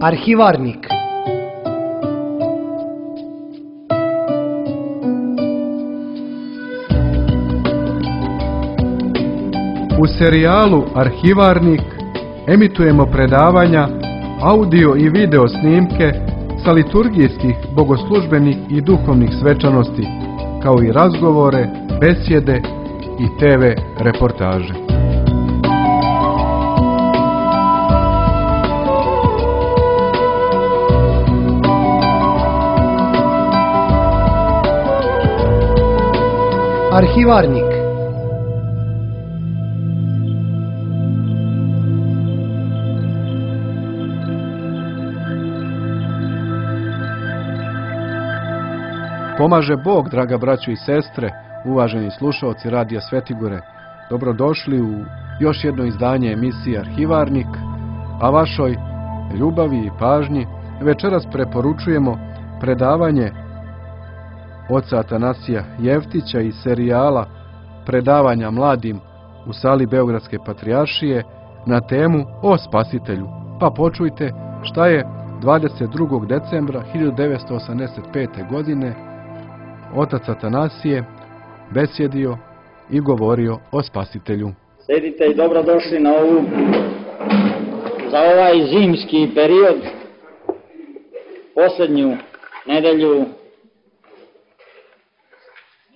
Arhivarnik. U serijalu Arhivarnik emitujemo predavanja, audio i video snimke sa liturgijskih, bogoslužbenih i duhovnih svečanosti, kao i razgovore, besjede i TV reportaže. Arhivarnik. Pomaže Bog, draga braćo i sestre, uvaženi slušaoci Radija Svetigore. Dobrodošli u još jedno izdanje emisije Arhivarnik, a vašoj ljubavi i pažnji večeras preporučujemo predavanje oca Atanasija Jeftića iz serijala predavanja mladim u sali Beogradske patrijaršije na temu o Spasitelju. Pa počujte šta je 22. decembra 1985. godine otac Atanasije besjedio i govorio o Spasitelju. Sedite i dobrodošli na za ovaj zimski period, posljednju nedelju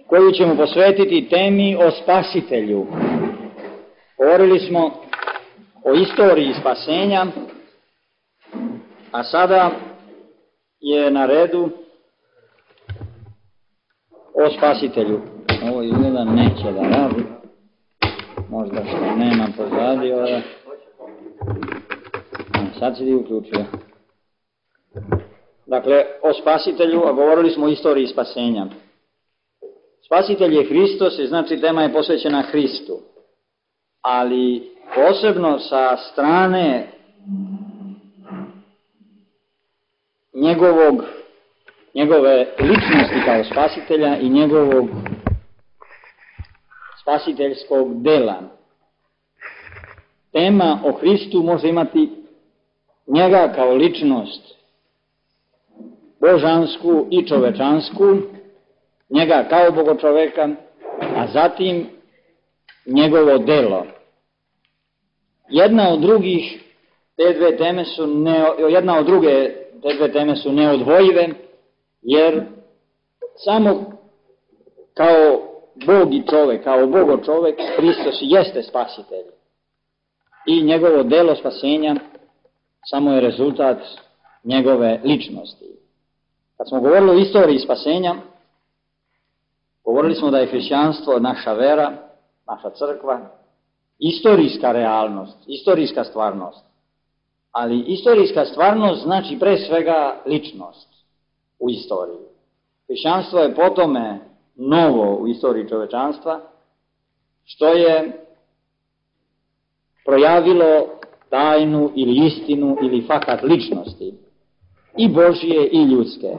koju ćemo posvetiti temi o Spasitelju. Govorili smo o istoriji spasenja, a sada je na redu o Spasitelju. Ovo izgleda neće da radi, možda što nema pozadi ovdje. Sad si ti uključio. Dakle, o Spasitelju, a govorili smo o istoriji spasenja. Spasitelj je Hristos i znači tema je posvećena Hristu, ali posebno sa strane njegove ličnosti kao Spasitelja i njegovog spasiteljskog dela. Tema o Hristu može imati njega kao ličnost božansku i čovečansku, njega kao bogočoveka, a zatim njegovo delo. Jedna od druge te dve teme su neodvojive, jer samo kao Bog i čovek, kao bogočovek, Hristos jeste Spasitelj. I njegovo delo spasenja samo je rezultat njegove ličnosti. Kad smo govorili o istoriji spasenja, govorili smo da je hrišćanstvo naša vera, naša crkva, istorijska realnost, istorijska stvarnost. Ali istorijska stvarnost znači pre svega ličnost u istoriji. Hrišćanstvo je po tome novo u istoriji čovečanstva, što je projavilo tajnu ili istinu ili fakat ličnosti, i Božje i ljudske.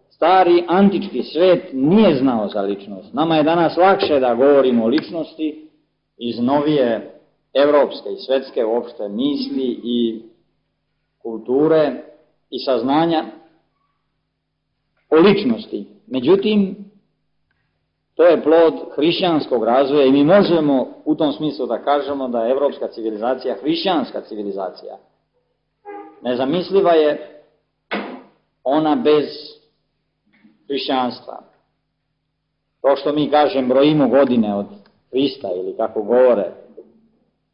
Stari antički svet nije znao za ličnost. Nama je danas lakše da govorimo o ličnosti iz novije evropske i svetske uopšte misli i kulture i saznanja o ličnosti. Međutim, to je plod hrišćanskog razvoja i mi možemo u tom smislu da kažemo da je evropska civilizacija hrišćanska civilizacija. Nezamisliva je ona bez hrišćanstva. To što mi kažem brojimo godine od Hrista ili kako govore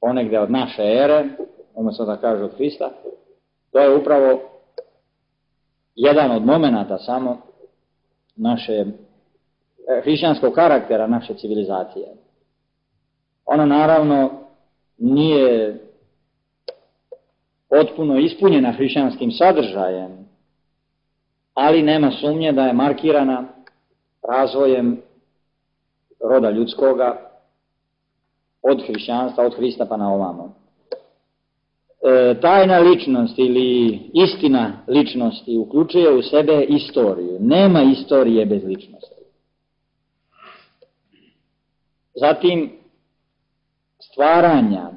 ponegde od naše ere, umjesto da kažu od Hrista, to je upravo jedan od momenata samo naše hrišćanskog karaktera naše civilizacije. Ona naravno nije potpuno ispunjena hrišćanskim sadržajem, ali nema sumnje da je markirana razvojem roda ljudskoga od hrišćanstva, od Hrista pa na ovamo. Tajna ličnost ili istina ličnosti uključuje u sebe istoriju. Nema istorije bez ličnosti. Zatim, stvaranja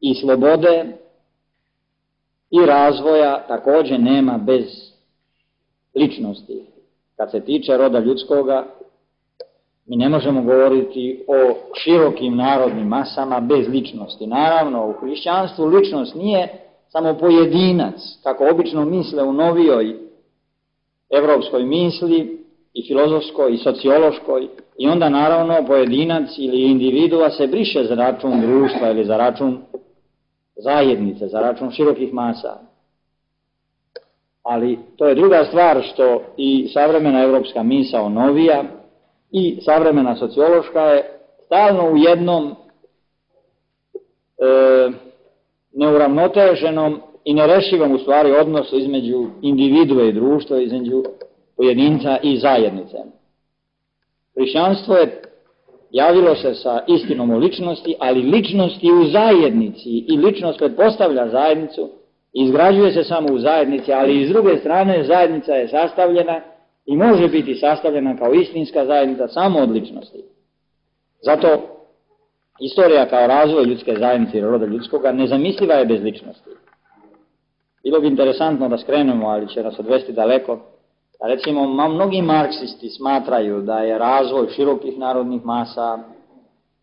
i slobode i razvoja također nema bez ličnosti. Kad se tiče roda ljudskoga, mi ne možemo govoriti o širokim narodnim masama bez ličnosti. Naravno, u hrišćanstvu ličnost nije samo pojedinac, kako obično misle u novijoj evropskoj misli, i filozofskoj, i sociološkoj, i onda naravno pojedinac ili individua se briše za račun društva ili za račun zajednice, za račun širokih masa. Ali to je druga stvar što i savremena evropska misao novija i savremena sociološka je stalno u jednom neuravnoteženom i nerešivom u stvari odnosu između individue i društva, između pojedinca i zajednice. Hrišćanstvo je javilo se sa istinom o ličnosti, ali ličnosti u zajednici, i ličnost pretpostavlja zajednicu, izgrađuje se samo u zajednici, ali i s druge strane zajednica je sastavljena i može biti sastavljena kao istinska zajednica samo od ličnosti. Zato istorija kao razvoj ljudske zajednice i roda ljudskoga nezamisliva je bez ličnosti. Bilo bi interesantno da skrenemo, ali će nas odvesti daleko. Recimo, mnogi marksisti smatraju da je razvoj širokih narodnih masa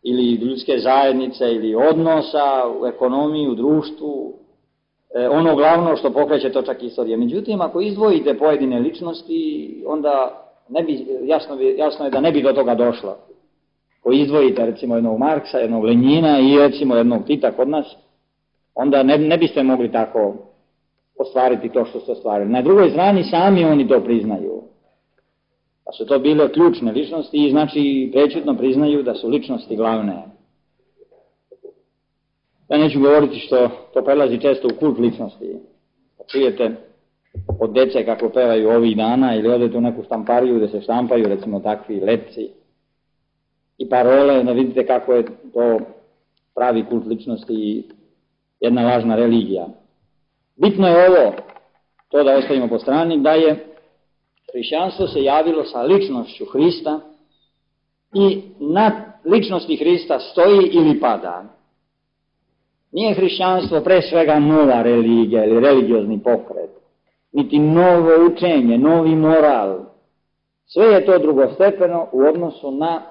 ili ljudske zajednice ili odnosa u ekonomiji, u društvu, ono glavno što pokreće točak istorije. Međutim, ako izdvojite pojedine ličnosti, onda jasno je da ne bi do toga došlo. Ako izdvojite recimo jednog Marksa, jednog Lenjina i recimo jednog Tita kod nas, onda ne biste mogli tako ostvariti to što ste ostvarili. Na drugoj strani sami oni to priznaju. Da su to bile ključne ličnosti i znači prečutno priznaju da su ličnosti glavne. Ja neću govoriti što to prelazi često u kult ličnosti. Čujete od dece kako pevaju ovih dana ili odete u neku štampariju gdje se štampaju recimo takvi lepci i parole, da vidite kako je to pravi kult ličnosti i jedna lažna religija. Bitno je ovo, to da ostavimo po strani, da je hrišćanstvo se javilo sa ličnošću Hrista i nad ličnosti Hrista stoji ili pada. Nije hrišćanstvo pre svega nova religija ili religiozni pokret, niti novo učenje, novi moral. Sve je to drugostepeno u odnosu na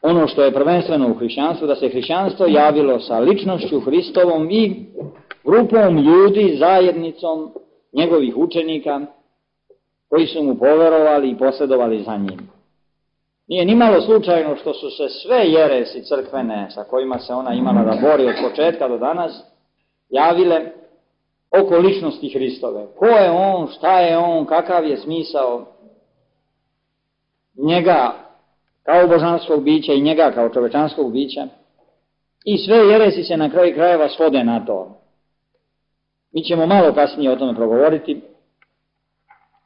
ono što je prvenstveno u hrišćanstvu, da se hrišćanstvo javilo sa ličnošću Hristovom i grupom ljudi, zajednicom njegovih učenika koji su mu poverovali i posledovali za njim. Nije nimalo slučajno što su se sve jeresi crkvene sa kojima se ona imala da bori od početka do danas javile oko ličnosti Hristove. Ko je on, šta je on, kakav je smisao njega kao božanskog bića i njega kao čovečanskog bića. I sve jeresi se na kraju krajeva svode na to. Mi ćemo malo kasnije o tome progovoriti,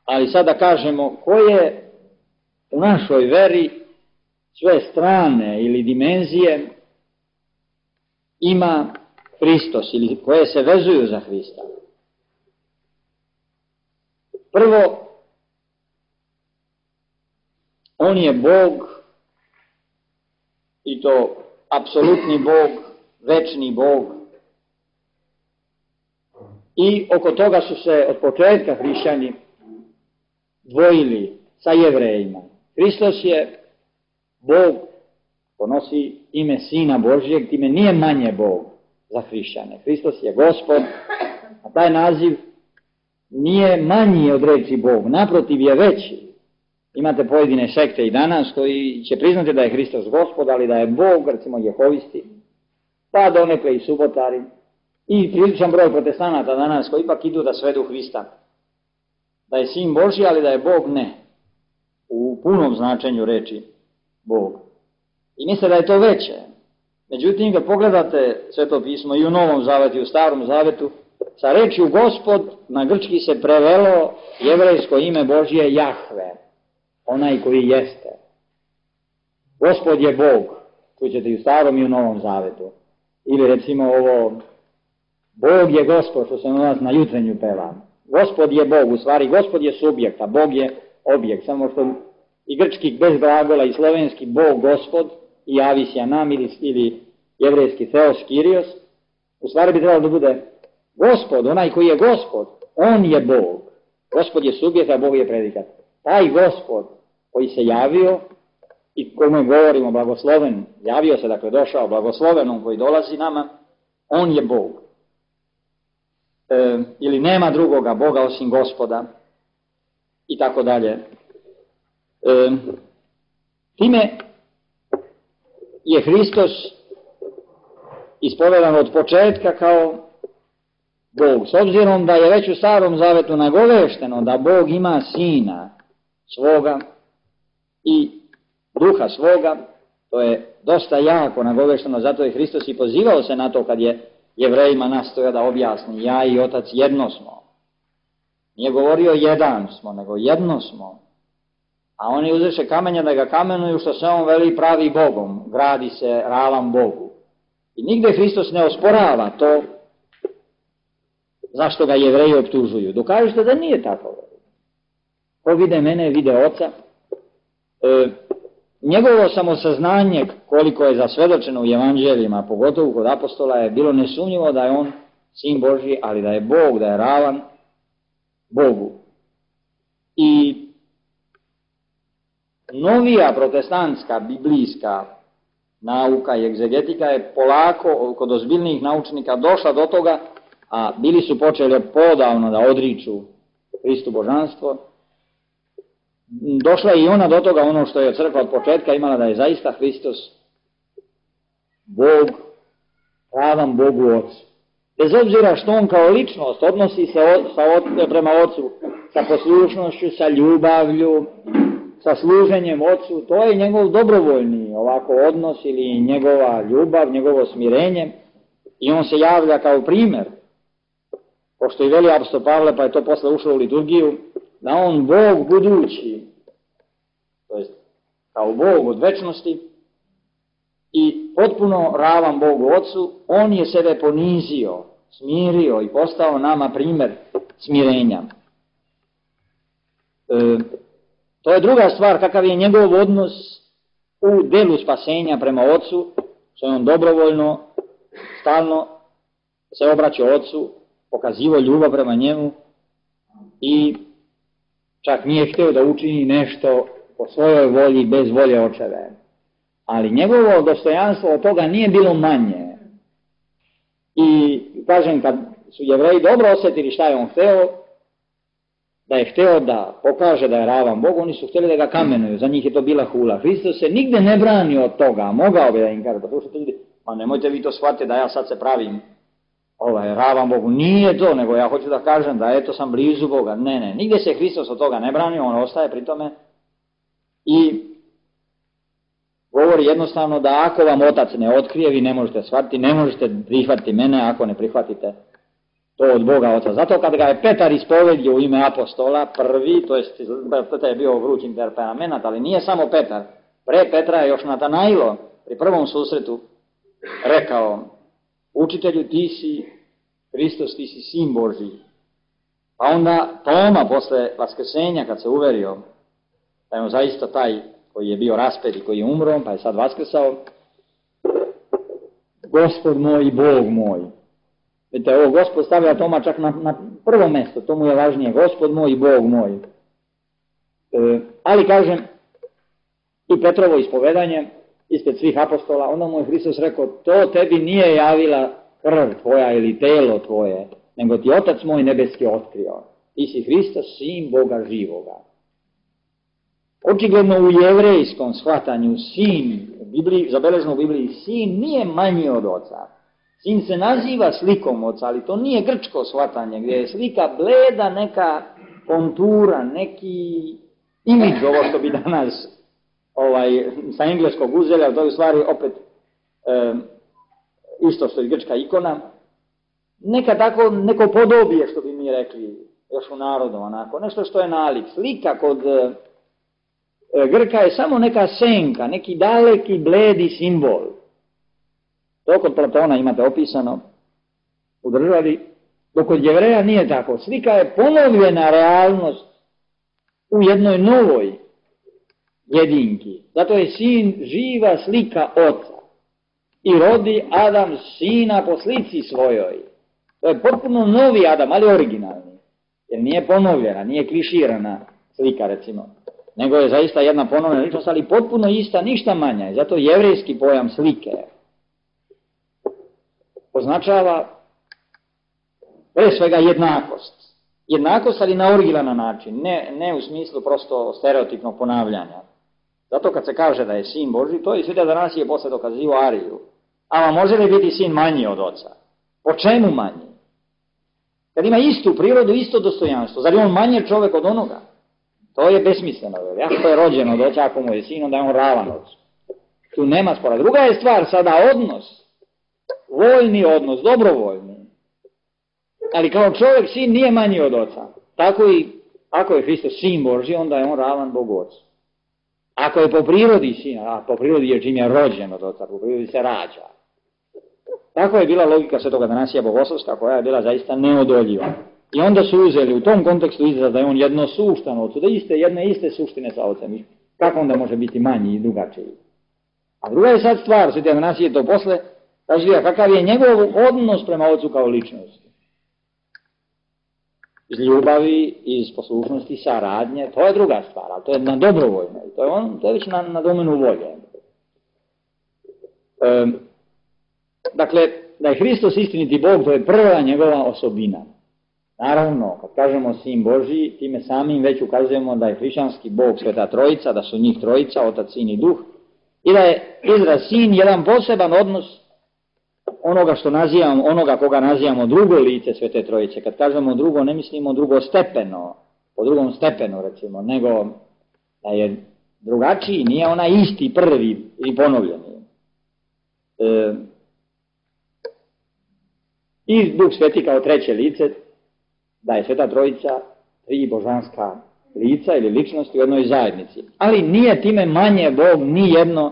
ali sada kažemo koje u našoj veri sve strane ili dimenzije ima Hristos ili koje se vezuju za Hrista. Prvo, on je Bog i to apsolutni Bog, večni Bog. I oko toga su se od početka hrišćani dvojili sa Jevrejima. Hristos je Bog, ponosi ime Sina Božijeg, time nije manje Bog za hrišćane. Hristos je Gospod, a taj naziv nije manji od reči Bog, naprotiv je veći. Imate pojedine sekte i danas koji će priznati da je Hristos Gospod, ali da je Bog, recimo Jehovisti, pa donekle i subotari, i priličan broj protestanata danas koji ipak idu da svedu Hrista. Da je Sin Božji, ali da je Bog ne. U punom značenju reči Bog. I misle da je to veće. Međutim, kad pogledate Sveto pismo i u Novom Zavetu i u Starom Zavetu, sa rečju Gospod na grčki se prevelo jevrejsko ime Božje Jahve, onaj koji jeste. Gospod je Bog, čućete i u Starom i u Novom Zavetu. Ili recimo ovo, Bog je Gospod, što se u nas na jutrenju peva. Gospod je Bog, u stvari Gospod je subjekt, a Bog je objekt, samo što i grčki bez glagola i slovenski Bog Gospod i Avisija nam ili jevrejski Theos Kyrios, u stvari bi trebalo da bude Gospod, onaj koji je Gospod, on je Bog. Gospod je subjekt, a Bog je predikat. Taj Gospod koji se javio i kome govorimo blagosloven, javio se, dakle došao blagoslovenom koji dolazi nama, on je Bog. Ili nema drugoga Boga osim Gospoda i tako dalje. Time je Hristos ispovedan od početka kao Bog. S obzirom da je već u Starom Zavetu nagovešteno da Bog ima Sina svoga i Duha svoga, to je dosta jako nagovešteno, zato je Hristos i pozivao se na to kad je Jevrejima nastojao da objasni, ja i Otac jedno smo. Nije govorio jedan smo, nego jedno smo. A oni uzreše kamenja da ga kamenuju, što se on veli pravi Bogom, gradi se ravan Bogu. I nigde Hristos ne osporava to zašto ga Jevreji optužuju. Dokažite da nije tako. Ko vide mene, vide Oca. Njegovo samosaznanje, koliko je zasvedočeno u evanđeljima, pogotovo kod apostola, je bilo nesumnjivo da je on Sin Božji, ali da je Bog, da je ravan Bogu. I novija protestantska, biblijska nauka i egzegetika je polako kod ozbiljnih naučnika došla do toga, a bili su počeli podavno da odriču Hristu božanstvo. Došla je i ona do toga, ono što je crkva od početka imala, da je zaista Hristos Bog, ravan Bogu Ocu. Bez obzira što on kao ličnost odnosi se prema Ocu sa poslušnošću, sa ljubavlju, sa služenjem Ocu, to je njegov dobrovoljni ovako odnos ili njegova ljubav, njegovo smirenje, i on se javlja kao primjer, pošto i veli apostol Pavle, pa je to posle ušlo u liturgiju, da on Bog budući, to jest kao Bog od večnosti i potpuno ravan Bogu Ocu, on je sebe ponizio, smirio i postao nama primjer smirenja. To je druga stvar, kakav je njegov odnos u delu spasenja prema Ocu, što je on dobrovoljno, stalno se obraćao Ocu, pokazivao ljubav prema njemu i čak nije htio da učini nešto po svojoj volji, bez volje očeve. Ali njegovo dostojanstvo od toga nije bilo manje. I kažem, kad su Jevreji dobro osjetili šta je on hteo, da je hteo da pokaže da je ravan Bog, oni su htjeli da ga kamenuju, za njih je to bila hula. Hristos se nigde ne branio od toga, mogao bi da im kaže, pa nemojte vi to shvatiti da ja sad se pravim ravan Bogu. Nije to, nego ja hoću da kažem da eto sam blizu Boga. Ne, nigde se Hristos od toga ne brani, on ostaje pri tome i govori jednostavno da ako vam Otac ne otkrije, vi ne možete shvatiti, ne možete prihvatiti mene ako ne prihvatite to od Boga Oca. Zato kad ga je Petar ispovedio u ime apostola, prvi, to je bio vruć temperament, ali nije samo Petar. Pre Petra je još Natanailo pri prvom susretu rekao, učitelju, ti si Hristos, ti si Sin Božji. Pa onda Toma posle vaskrsenja, kad se uverio da je on zaista taj koji je bio raspet i koji je umro, pa je sad vaskrsao, Gospod moj i Bog moj. Vidite, ovo Gospod stavlja Toma čak na prvo mesto, to mu je važnije, Gospod moj i Bog moj. Ali kažem, i Petrovo ispovedanje, ispred svih apostola, onda mu je Hristos rekao, to tebi nije javila krv tvoja ili telo tvoje, nego ti Otac moj nebeski otkrio. Ti si Hristos, Sin Boga živoga. Očigledno u jevrejskom shvatanju sin, zabeleženo u Bibliji, sin nije manji od Oca. Sin se naziva slikom Oca, ali to nije grčko shvatanje, gdje je slika bleda, neka kontura, neki imidž, ovo što bi danas sa engleskog uzeli, ali to je u stvari opet isto što je grčka ikona. Neka tako, neko podobije, što bi mi rekli, još u narodu, onako, nešto što je nalik. Slika kod Grka je samo neka senka, neki daleki, bledi simbol. To kod Platona imate opisano u državi, dok kod Jevreja nije tako. Slika je ponovljena realnost u jednoj novoj jedinki. Zato je sin živa slika Oca. I rodi Adam sina po slici svojoj. To je potpuno novi Adam, ali originalni. Jer nije ponovljena, nije kliširana slika, recimo. Nego je zaista jedna ponovljena ličnost, ali potpuno ista, ništa manja. I zato jevrejski pojam slike označava pre svega jednakost. Jednakost, ali na originalan način, ne u smislu prosto stereotipnog ponavljanja. Zato kad se kaže da je sin Božji, to je Sveti Atanasije posle dokazivao Ariju. A može li biti sin manji od oca? Po čemu manji? Kad ima istu prirodu, isto dostojanstvo, zar je on manje čovjek od onoga? To je besmisleno. Ako je rođen od oca, ako mu je sin, onda je on ravan ocu. Tu nema spora. Druga je stvar sada odnos, voljni odnos, dobrovoljni. Ali kao čovjek sin nije manji od oca. Tako i ako je Hristos sin Božji, onda je on ravan Bogu ocu. Ako je po prirodi sin, a po prirodi je čim je rođen od oca, po prirodi se rađa. Tako je bila logika Svetog Atanasija Bogoslovska, koja je bila zaista neodoljiva. I onda su uzeli u tom kontekstu izraz da je on jednosuštan ocu, da jedne iste suštine sa ocem. Kako onda može biti manji i drugačiji? A druga je sad stvar, Sveti Atanasije to posle razvija, kakav je njegov odnos prema ocu kao ličnosti. Iz ljubavi, iz poslušnosti, saradnje, to je druga stvar, ali to je na dobrovoljno, to je već na domenu volje. Dakle, da je Hristos istiniti Bog, to je prva njegova osobina. Naravno, kad kažemo sin Božji, time samim već ukazujemo da je hrišćanski Bog Sveta Trojica, da su njih trojica, Otac, Sin i Duh, i da je izraz sin jedan poseban odnos onoga što nazivamo, onoga koga nazivamo drugo lice Svete Trojice. Kad kažemo drugo, ne mislimo drugostepeno, po drugom stepenu recimo, nego da je drugačiji, nije onaj isti, prvi i ponovljeni. I Duh Sveti kao treće lice, da je Sveta Trojica tri božanska lica ili ličnosti u jednoj zajednici. Ali nije time manje Bog ni jedno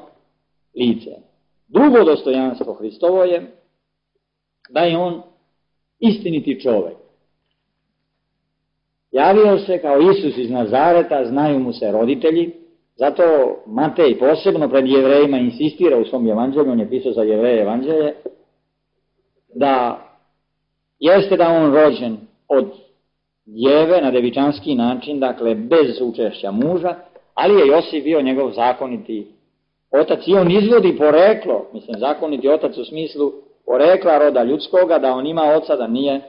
lice. Drugo dostojanstvo Hristovo je da je on istiniti čovjek. Javio se kao Isus iz Nazareta, znaju mu se roditelji, zato Matej posebno pred Jevrejima insistira u svom evanđelju, on je pisao za Jevreje evanđelje, da jeste da on rođen od djeve na devičanski način, dakle bez učešća muža, ali je Josif bio njegov zakoniti otac i on izvodi poreklo, mislim zakoniti otac u smislu porekla roda ljudskoga, da on ima oca, da nije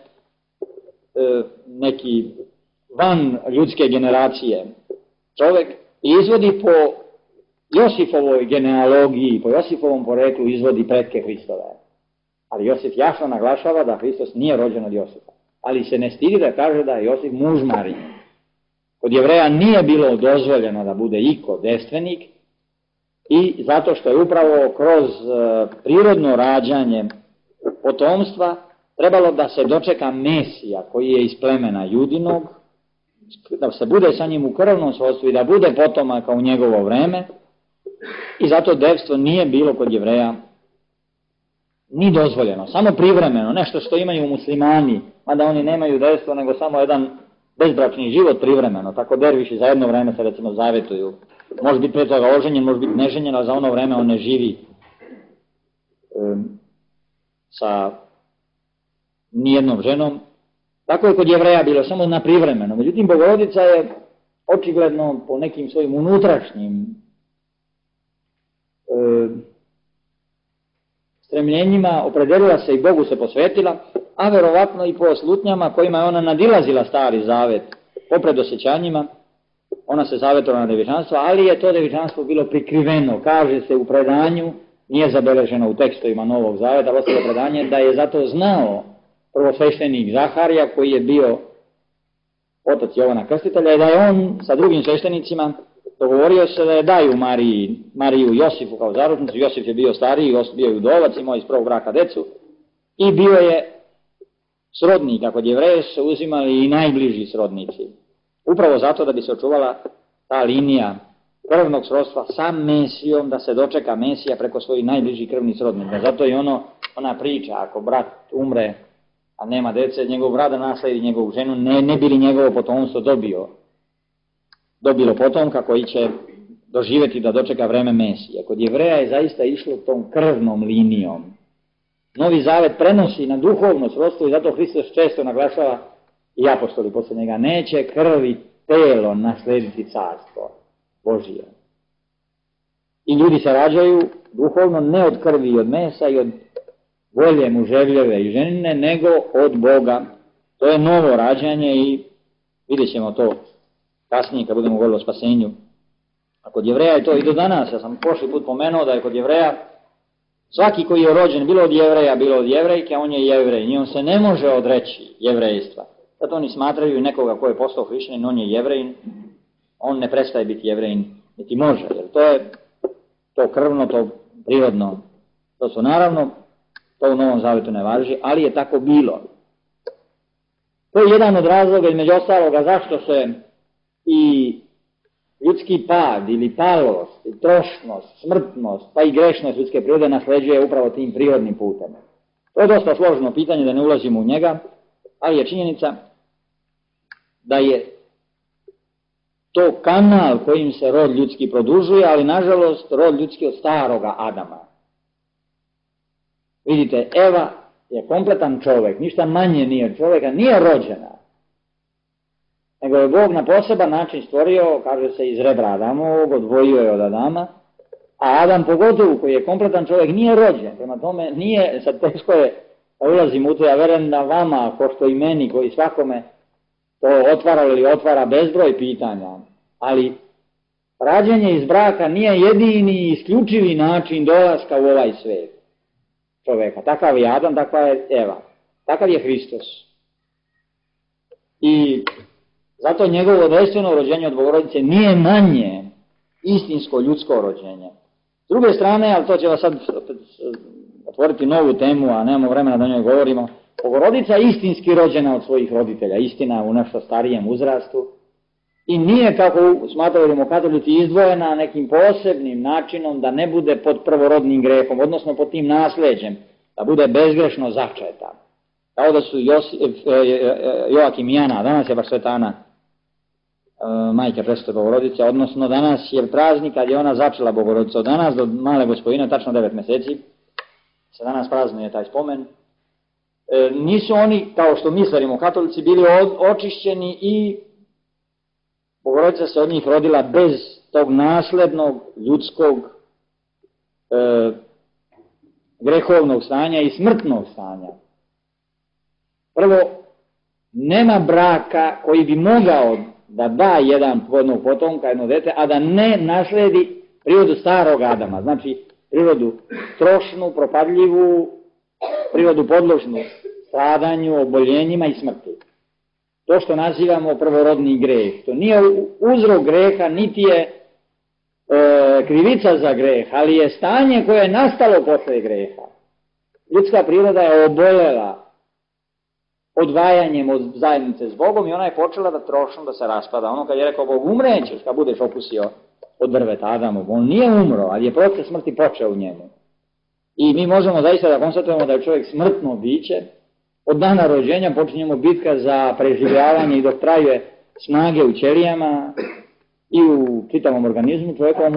neki van ljudske generacije čovjek, i izvodi po Josifovoj genealogiji, po Josifovom poreklu izvodi pretke Hristove. Ali Josif jasno naglašava da Hristos nije rođen od Josifa. Ali se ne stidi da kaže da je Josif muž Marije. Kod Jevreja nije bilo dozvoljeno da bude iko devstvenik, i zato što je upravo kroz prirodno rađanje potomstva trebalo da se dočeka Mesija koji je iz plemena Judinog, da se bude sa njim u krvnom srodstvu i da bude potomaka u njegovo vreme, i zato devstvo nije bilo kod Jevreja ni dozvoljeno, samo privremeno, nešto što imaju muslimani, mada oni nemaju devstvo nego samo jedan bezbračni život privremeno, tako derviši za jedno vreme se recimo zavetuju. Može biti pre toga oženjen, može biti neženjen, a za ono vreme on ne živi sa nijednom ženom. Tako je kod Jevreja bilo, samo na privremeno. Međutim, Bogorodica je očigledno po nekim svojim unutrašnjim stremljenjima opredelila se i Bogu se posvetila, a verovatno i po slutnjama kojima je ona nadilazila Stari Zavet, po predosjećanjima. Ona se zavetovala na devičanstvo, ali je to devičanstvo bilo prikriveno. Kaže se u predanju, nije zabeleženo u tekstovima Novog Zaveta, ostalo predanje, da je zato znao prvosveštenik Zaharija, koji je bio otac Jovana Krstitelja, i da je on sa drugim sveštenicima dogovorio se da je daju Mariju Josifu kao zaručnicu. Josif je bio stariji, bio je udovac, imao iz prvog braka decu, i bio je srodnik. Kod Jevreja su uzimali i najbliži srodnici. Upravo zato da bi se očuvala ta linija krvnog srodstva sa Mesijom, da se dočeka Mesija preko svojih najbližih krvnih srodnika. Zato je ona priča, ako brat umre, a nema dece, njegov brat da nasledi njegovu ženu, ne bi li njegovo potomstvo dobilo potomka koji će doživjeti da dočeka vreme Mesije. Kod Jevreja je zaista išlo tom krvnom linijom. Novi Zavet prenosi na duhovno srodstvo i zato Hristos često naglašava i apostoli posle njega, neće krv i telo naslediti carstvo Božije. I ljudi se rađaju duhovno ne od krvi i od mesa i od volje muževljeve i ženine, nego od Boga. To je novo rađanje i vidjet ćemo to kasnije kad budemo govorili o spasenju. A kod Jevreja je to i do danas. Ja sam prošli put pomenuo da je kod Jevreja svaki koji je rođen bilo od Jevreja, bilo od Jevrejke, on je Jevrej. I on se ne može odreći jevrejstva. Zato oni smatraju i nekoga ko je postao hrišćanin, on je Jevrejin, on ne prestaje biti Jevrejin, niti može. Jer to je to krvno, to prirodno. To su naravno, to u Novom Zavetu ne važi, ali je tako bilo. To je jedan od razloga, između ostaloga, zašto se i ljudski pad ili palost, i trošnost, smrtnost, pa i grešnost ljudske prirode nasleđuje upravo tim prirodnim putem. To je dosta složeno pitanje, da ne ulazimo u njega, ali je činjenica da je to kanal kojim se rod ljudski produžuje, ali nažalost rod ljudski od staroga Adama. Vidite, Eva je kompletan čovjek, ništa manje nije od čovjeka, nije rođena. Nego je Bog na poseban način stvorio, kaže se, iz rebra Adamovog, odvojio je od Adama, a Adam pogotovo koji je kompletan čovjek nije rođen, prema tome nije, sad teško je da ulazim u to, ja verujem da vama, ko što i meni, koji svakome to otvara ili otvara bezbroj pitanja, ali rađenje iz braka nije jedini i isključivi način dolaska u ovaj svijet čovjeka. Takav je Adam, takva je Eva, takav je Hristos. I zato njegovo dojstveno rođenje od Bogorodice nije manje istinsko ljudsko rođenje. S druge strane, ali to će vas sad otvoriti novu temu, a nemamo vremena da o njoj govorimo, Bogorodica je istinski rođena od svojih roditelja, istina u nešto starijem uzrastu i nije, kako smatramo katolici, izdvojena nekim posebnim načinom da ne bude pod prvorodnim grehom, odnosno pod tim nasleđem, da bude bezgrešno začeta. Kao da su Joakim i Jana, danas je baš Sveta Ana, majka presvete Bogorodice, odnosno danas je praznik kad je ona začela Bogorodicu. Od danas do Male Gospojine, tačno 9 meseci, se danas praznuje taj spomen. Nisu oni, kao što mi stvarimo katolici, bili očišćeni i Bogorodica se od njih rodila bez tog naslednog ljudskog grehovnog stanja i smrtnog stanja. Prvo, nema braka koji bi mogao da da jedan plodnog potomka, jedno dete, a da ne nasledi prirodu starog Adama, znači prirodu trošnu, propadljivu, prirodu podložnu stradanju, oboljenjima i smrti. To što nazivamo prvorodni greh, to nije uzrok greha, niti je krivica za greh, ali je stanje koje je nastalo posle greha. Ljudska priroda je obolela odvajanjem od zajednice s Bogom i ona je počela da trošno, da se raspada. Ono kad je rekao Bog, umrećeš kad budeš okusio od drveta Adamov. On nije umro, ali je proces smrti počeo u njemu. I mi možemo zaista da konstatujemo da je čovjek smrtno biće. Od dana rođenja počinjemo bitka za preživljavanje i dok trajuje snage u ćelijama i u čitavom organizmu čovjekom,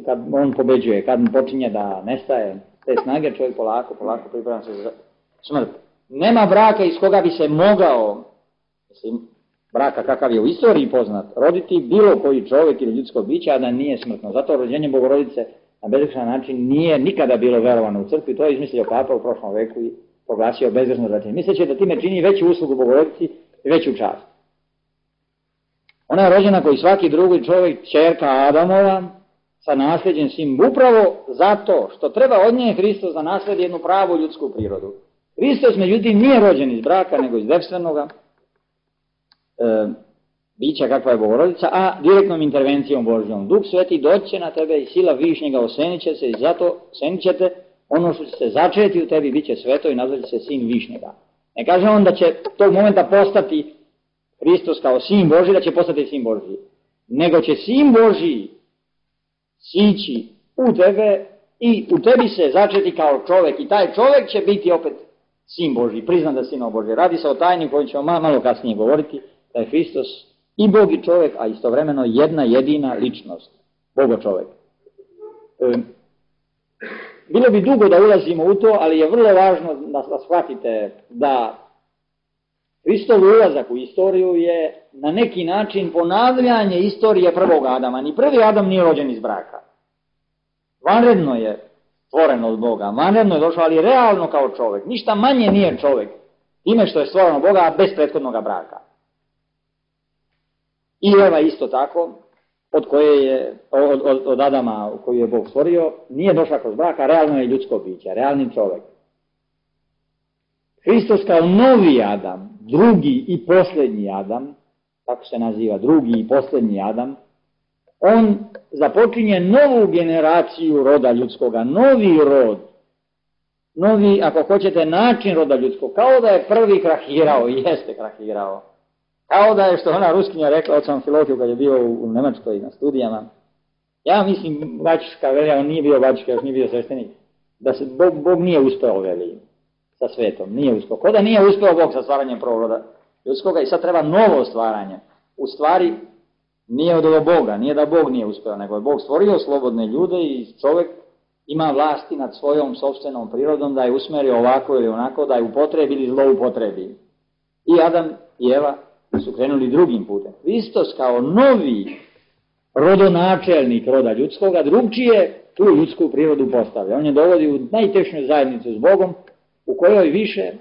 kad on pobeđuje, kad počinje da nestaje te snage, čovjek polako priprema se za smrt. Nema braka iz koga bi se mogao, braka kakav je u istoriji poznat, roditi bilo koji čovjek ili ljudsko biće, a da nije smrtno. Zato rođenje Bogorodice na bezgrešan način nije nikada bilo verovano u crkvi. To je izmislio Papa u prošlom veku i proglasio bezgrešno rođenje. Misleći da time čini veću uslugu Bogorodici i veću čast. Ona je rođena koji svaki drugi čovjek, ćerka Adamova, sa nasljeđem svim, upravo zato što treba od nje Hristos da nasledi jednu pravu ljudsku prirodu. Hristos, međutim, nije rođen iz braka, nego iz devstvenoga bića kakva je Bogorodica, a direktnom intervencijom Božjom. Duh Sveti doće na tebe i sila višnjega osenit će se i zato osenit ćete ono što će se začeti u tebi, bit će sveto i nazvat će se sin višnjega. Ne kaže on da će tog momenta postati Hristos kao sin Božji, da će postati sin Božji, nego će sin Božji sići u tebe i u tebi se začeti kao čovjek i taj čovjek će biti opet sin Božji, priznat da sinov Božji. Radi se o tajni koju ćemo malo kasnije govoriti, da je Hristos i Bog i čovjek, a istovremeno jedna jedina ličnost, Bogo čovjek. bilo bi dugo da ulazimo u to, ali je vrlo važno da shvatite da Hristov ulazak u istoriju je na neki način ponavljanje istorije prvog Adama. Ni prvi Adam nije rođen iz braka. Vanredno je stvoren od Boga, vanredno je došao, ali realno kao čovjek. Ništa manje nije čovjek time što je stvoren od Boga bez prethodnog braka. I Eva isto tako, od Adama koju je Bog stvorio, nije došla kroz braka, realno je ljudsko biće, realni čovjek. Hristos kao novi Adam, drugi i posljednji Adam, tako se naziva, drugi i posljednji Adam, on započinje novu generaciju roda ljudskoga, novi rod, novi, ako hoćete, način roda ljudskog, kao da je prvi krahirao, i jeste krahirao. Kao da je, što ona Ruskinja rekla od Amfilohiju kad je bio u Nemačkoj na studijama, ja mislim, bačiška velja, on nije bio bačiška, još nije bio sveštenik, da se Bog nije uspeo, veli, sa svetom, nije uspeo. Ko da nije uspeo Bog sa stvaranjem prvog roda ljudskoga i sad treba novo stvaranje. U stvari, nije od ovog Boga, nije da Bog nije uspeo, nego je Bog stvorio slobodne ljude i čovjek ima vlasti nad svojom sopstvenom prirodom da je usmerio ovako ili onako, da je upotrebi ili zloupotrebi. I Adam i Eva su krenuli drugim putem. Hristos kao novi rodonačelnik roda ljudskoga drugčije tu ljudsku prirodu postavlja. On je dovodi u najtešnju zajednicu s Bogom, u kojoj više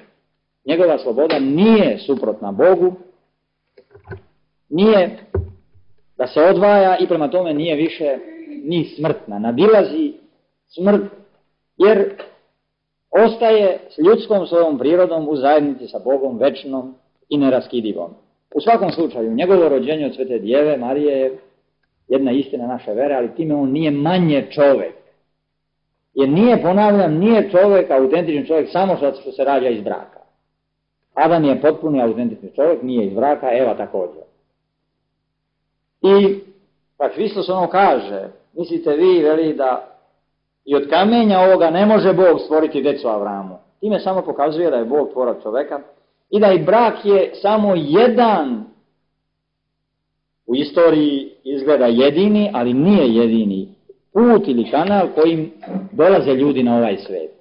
njegova sloboda nije suprotna Bogu, nije da se odvaja i prema tome nije više ni smrtna, nadilazi smrt, jer ostaje s ljudskom svojom prirodom u zajednici sa Bogom večnom i neraskidivom. U svakom slučaju, njegovo rođenje od Svete Djeve Marije je jedna istina naše vere, ali time on nije manje čovjek. Jer nije, ponavljam, nije čovjek, autentični čovjek, samo što se rađa iz braka. Adam je potpuni autentični čovjek, nije iz braka, Eva također. I pa Hristos ono kaže, mislite vi, veli, da i od kamenja ovoga ne može Bog stvoriti decu Avramu. Time samo pokazuje da je Bog tvorac čoveka i da i brak je samo jedan, u istoriji izgleda jedini, ali nije jedini put ili kanal kojim dolaze ljudi na ovaj svijet.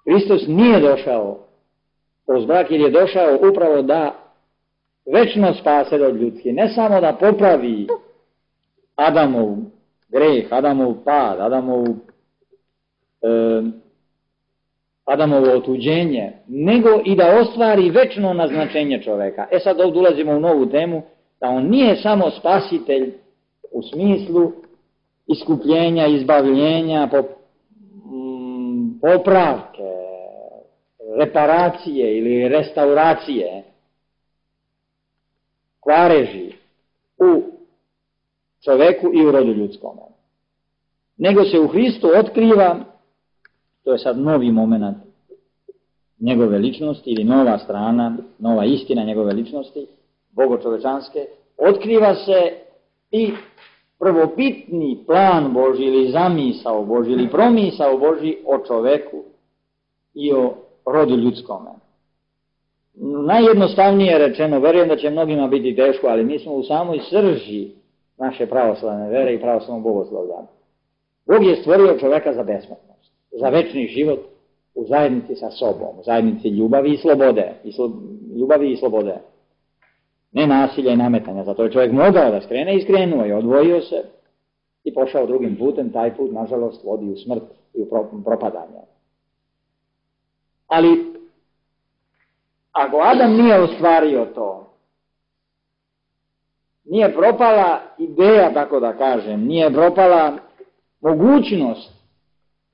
Hristos nije došao kroz brak, jer je došao upravo da večno spase od ljudski, ne samo da popravi Adamov greh, Adamov pad, Adamovo otuđenje, nego i da ostvari večno naznačenje čoveka. Sad ovdje ulazimo u novu temu, da on nije samo spasitelj u smislu iskupljenja, izbavljenja, popravke, reparacije ili restauracije, kvareži u čoveku i u rodu ljudskom. Nego se u Hristu otkriva, to je sad novi moment njegove ličnosti ili nova strana, nova istina njegove ličnosti, bogočovečanske, otkriva se i prvobitni plan Božji ili zamisao Božji ili promisao Božji o čoveku i o rodu ljudskome. Najjednostavnije rečeno, verujem da će mnogima biti teško, ali mi smo u samoj srži naše pravoslavne vere i pravoslavnog bogoslovlja. Bog je stvorio čoveka za besmrtnost, za večni život u zajednici sa sobom, u zajednici ljubavi i slobode. Ljubavi i slobode. Ne nasilja i nametanja, zato je čovjek mogao da skrene i skrenuo je, odvojio se i pošao drugim putem, taj put nažalost vodi u smrt i u propadanje. Ali ako Adam nije ostvario to, nije propala ideja, tako da kažem, nije propala mogućnost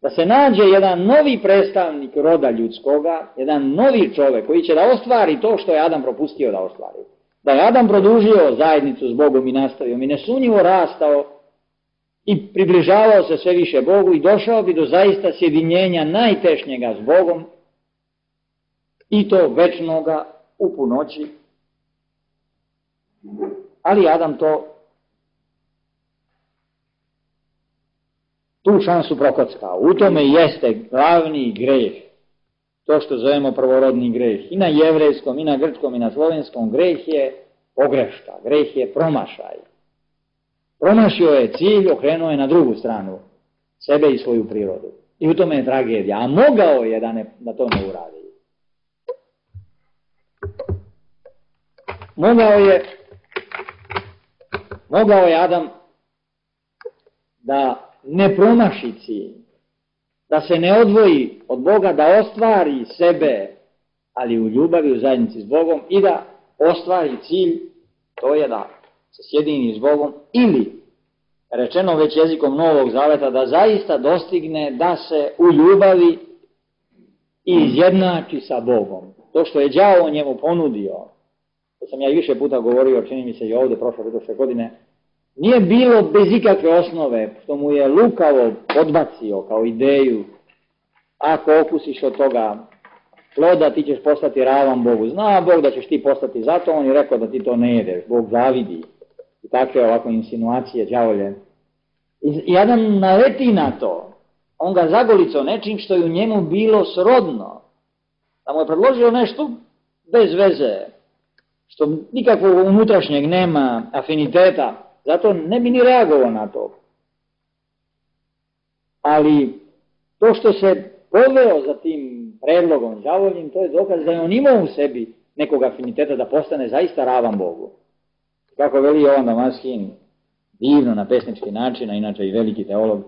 da se nađe jedan novi predstavnik roda ljudskoga, jedan novi čovjek koji će da ostvari to što je Adam propustio da ostvari. Da je Adam produžio zajednicu s Bogom i nastavio i nesumnjivo rastao i približavao se sve više Bogu i došao bi do zaista sjedinjenja najtešnjega s Bogom i to večnoga u punoći. Ali Adam tu šansu prokockao. U tome jeste glavni greh. To što zovemo prvorodni greh. I na jevrejskom, i na grčkom, i na slovenskom greh je pogreška. Greh je promašaj. Promašio je cilj, okrenuo je na drugu stranu. sebe i svoju prirodu. I u tome je tragedija. A mogao je da to ne uradi. Mogao je Adam da ne promaši cilj, da se ne odvoji od Boga, da ostvari sebe, ali u ljubavi, u zajednici s Bogom, i da ostvari cilj, to je da se sjedini s Bogom, ili, rečeno već jezikom Novog Zaveta, da zaista dostigne da se u ljubavi izjednači sa Bogom. To što je đavo njemu ponudio, to sam ja i više puta govorio, čini mi se i ovdje prošle godine, nije bilo bez ikakve osnove, što mu je lukavo odbacio kao ideju, ako okusiš od toga ploda, ti ćeš postati ravan Bogu. Zna Bog da ćeš ti postati, zato on je rekao da ti to ne jedeš, Bog zavidi. I takve ovako insinuacije đavolje. I Adam naleti na to, on ga zagolicao nečim što je u njemu bilo srodno, da mu je predložio nešto bez veze, što nikakvog unutrašnjeg nema afiniteta, zato ne bi ni reagovao na to. Ali to što se poveo za tim predlogom đavoljim, to je dokaz da je on imao u sebi nekog afiniteta da postane zaista ravan Bogu. Kako veli Jovan Damaskin, divno na pesnički način, a inače i veliki teolog,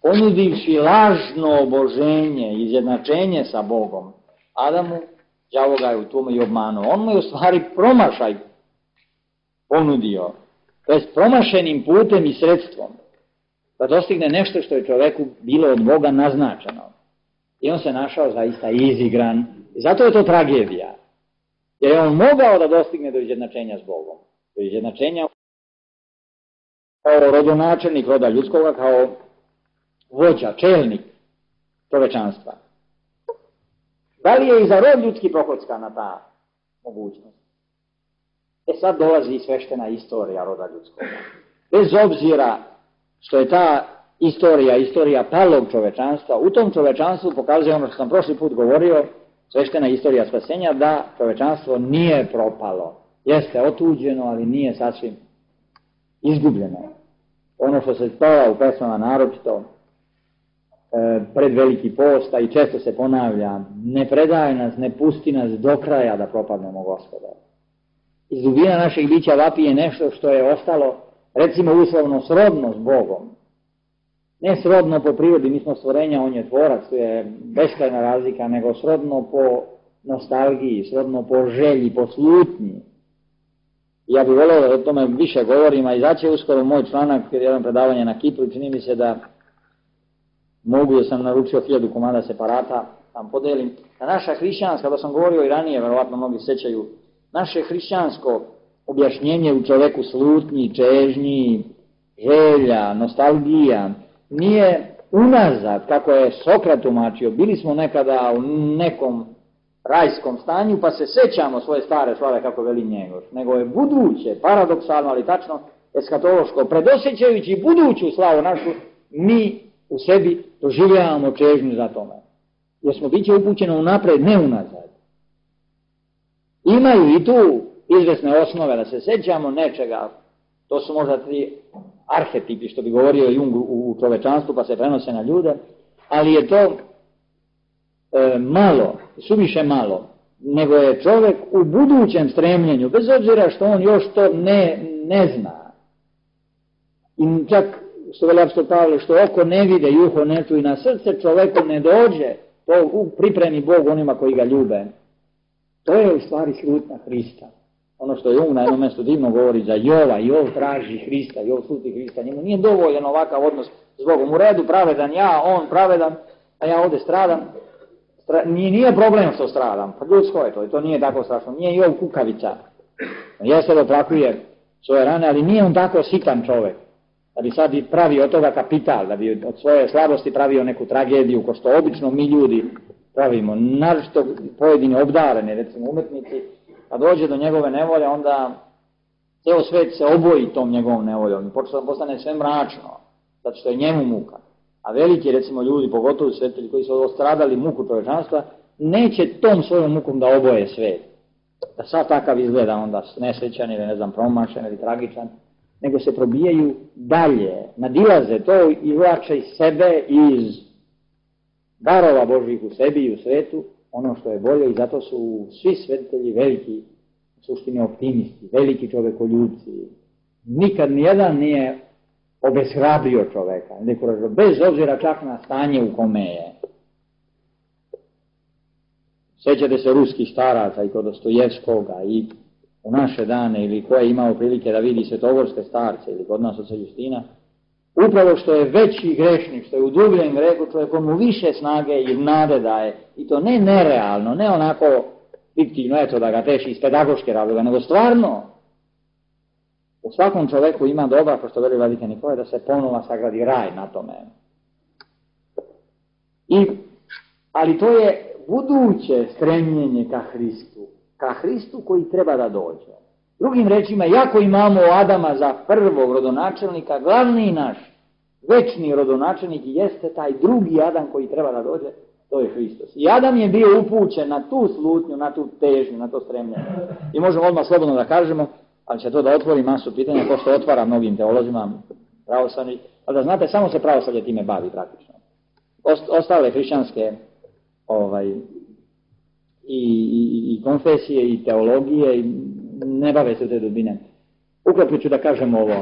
ponudivši lažno oboženje, izjednačenje sa Bogom, Adamu, đavo ga je u tome i obmanuo. On mu je u stvari promašaj ponudio, to je promašenim putem i sredstvom, da dostigne nešto što je čoveku bilo od Boga naznačeno. I on se našao zaista izigran. I zato je to tragedija. Jer je on mogao da dostigne do izjednačenja s Bogom. Do izjednačenja kao rodonačelnik roda ljudskoga, kao vođa, čelnik čovečanstva. Da li je i za rod ljudski prokockana ta mogućnost? Sad dolazi sveštena istorija roda ljudskoga. Bez obzira što je ta istorija palog čovečanstva, u tom čovečanstvu pokazuje ono što sam prošli put govorio, sveštena istorija spasenja, da čovečanstvo nije propalo. Jeste otuđeno, ali nije sasvim izgubljeno. Ono što se spava u pesmama naročito pred Veliki post, a i često se ponavlja, ne predaj nas, ne pusti nas do kraja da propadnemo, Gospode. Iz dubina našeg bića vapije nešto što je ostalo, recimo uslovno, srodno s Bogom. Ne srodno po prirodi, mi smo stvorenja, on je tvorac, to je beskrajna razlika, nego srodno po nostalgiji, srodno po želji, po slutnji. Ja bih volio da o tome više govorim, a izaće uskoro moj članak, jedan predavanje na Kipru, čini mi se da mogu, da sam naručio 1000 komada separata, tam podelim. A naša hrišćanska, da sam govorio i ranije, verovatno mnogi sećaju, naše hrišćansko objašnjenje u čoveku slutnji, čežnji, želja, nostalgija, nije unazad, kako je Sokrat tumačio, bili smo nekada u nekom rajskom stanju, pa se sećamo svoje stare slave, kako veli Njegoš, nego je buduće, paradoksalno, ali tačno eskatološko, predosjećajući buduću slavu našu, mi u sebi doživljavamo čežnju za tome. Jer smo biće upućeno unapred, ne unazad. Imaju i tu izvesne osnove da se sećamo nečega, to su možda 3 arhetipi, što bi govorio Jung u čovečanstvu, pa se prenose na ljude, ali je to malo, suviše malo, nego je čovjek u budućem stremljenju, bez obzira što on još to ne zna. I čak, što veli apostol Pavle, što oko ne vide i uho ne čuje, na srce čovjeku ne dođe, to pripremi Bog onima koji ga ljube. To je u stvari slutnja Hrista. Ono što Jung na jednom mjestu divno govori za Jova, Jov traži Hrista, Jov sluti Hrista, njemu nije dovoljan ovakav odnos s Bogom. U redu, pravedan ja, on pravedan, a ja ovdje stradam. Nije problem što stradam, pa ljudsko je to nije tako strašno, nije Jov kukavica. Jeste da oplakuje svoje rane, ali nije on tako sitan čovjek, da bi sad pravio od toga kapital, da bi od svoje slabosti pravio neku tragediju, ko što obično mi ljudi pravimo, naročito pojedini obdareni, recimo umetnici, kad dođe do njegove nevolje, onda ceo svet se oboji tom njegovom nevoljom i postane sve mračno, zato što je njemu muka. A veliki, recimo, ljudi, pogotovo svetitelji koji su ostradali muku čovečanstva, neće tom svojom mukom da oboje svet. Da sad takav izgleda onda nesrećan ili, ne znam, promašen ili tragičan, nego se probijaju dalje, nadilaze to i izvlače iz sebe, iz darova Božjih u sebi i u svetu, ono što je bolje, i zato su svi svetitelji veliki, u suštini optimisti, veliki čovekoljubci. Nikad nijedan nije obeshrabrio čoveka, bez obzira čak na stanje u kome je. Sjećate se ruskih staraca i kod Dostojevskoga i u naše dane, ili ko je imao prilike da vidi svetogorske starce ili kod nas oca Justina, upravo što je veći grešnik, što je u dubljem grehu, čovjek mu više snage i nade daje, i to ne nerealno, ne onako fiktivno, eto da ga teši iz pedagoške razloga, nego stvarno u svakom čoveku ima dobra, kao što veli vladika Nikolaj, da se ponova sagradi raj na tome. Ali to je buduće stremljenje ka Hristu koji treba da dođe. Drugim rečima, jako imamo Adama za prvog rodonačelnika, glavni naš večni rodonačelnik jeste taj drugi Adam koji treba da dođe, to je Hristos. I Adam je bio upućen na tu slutnju, na tu težnju, na to stremljenje. I možemo odmah slobodno da kažemo, ali će to da otvori masu pitanja, ko što otvara mnogim teolozima pravoslavni, ali da znate, samo se pravoslavlje time bavi praktično. Ostale hrišćanske i konfesije i teologije ne bave se u te dubine. Ukratko ću da kažem ovo,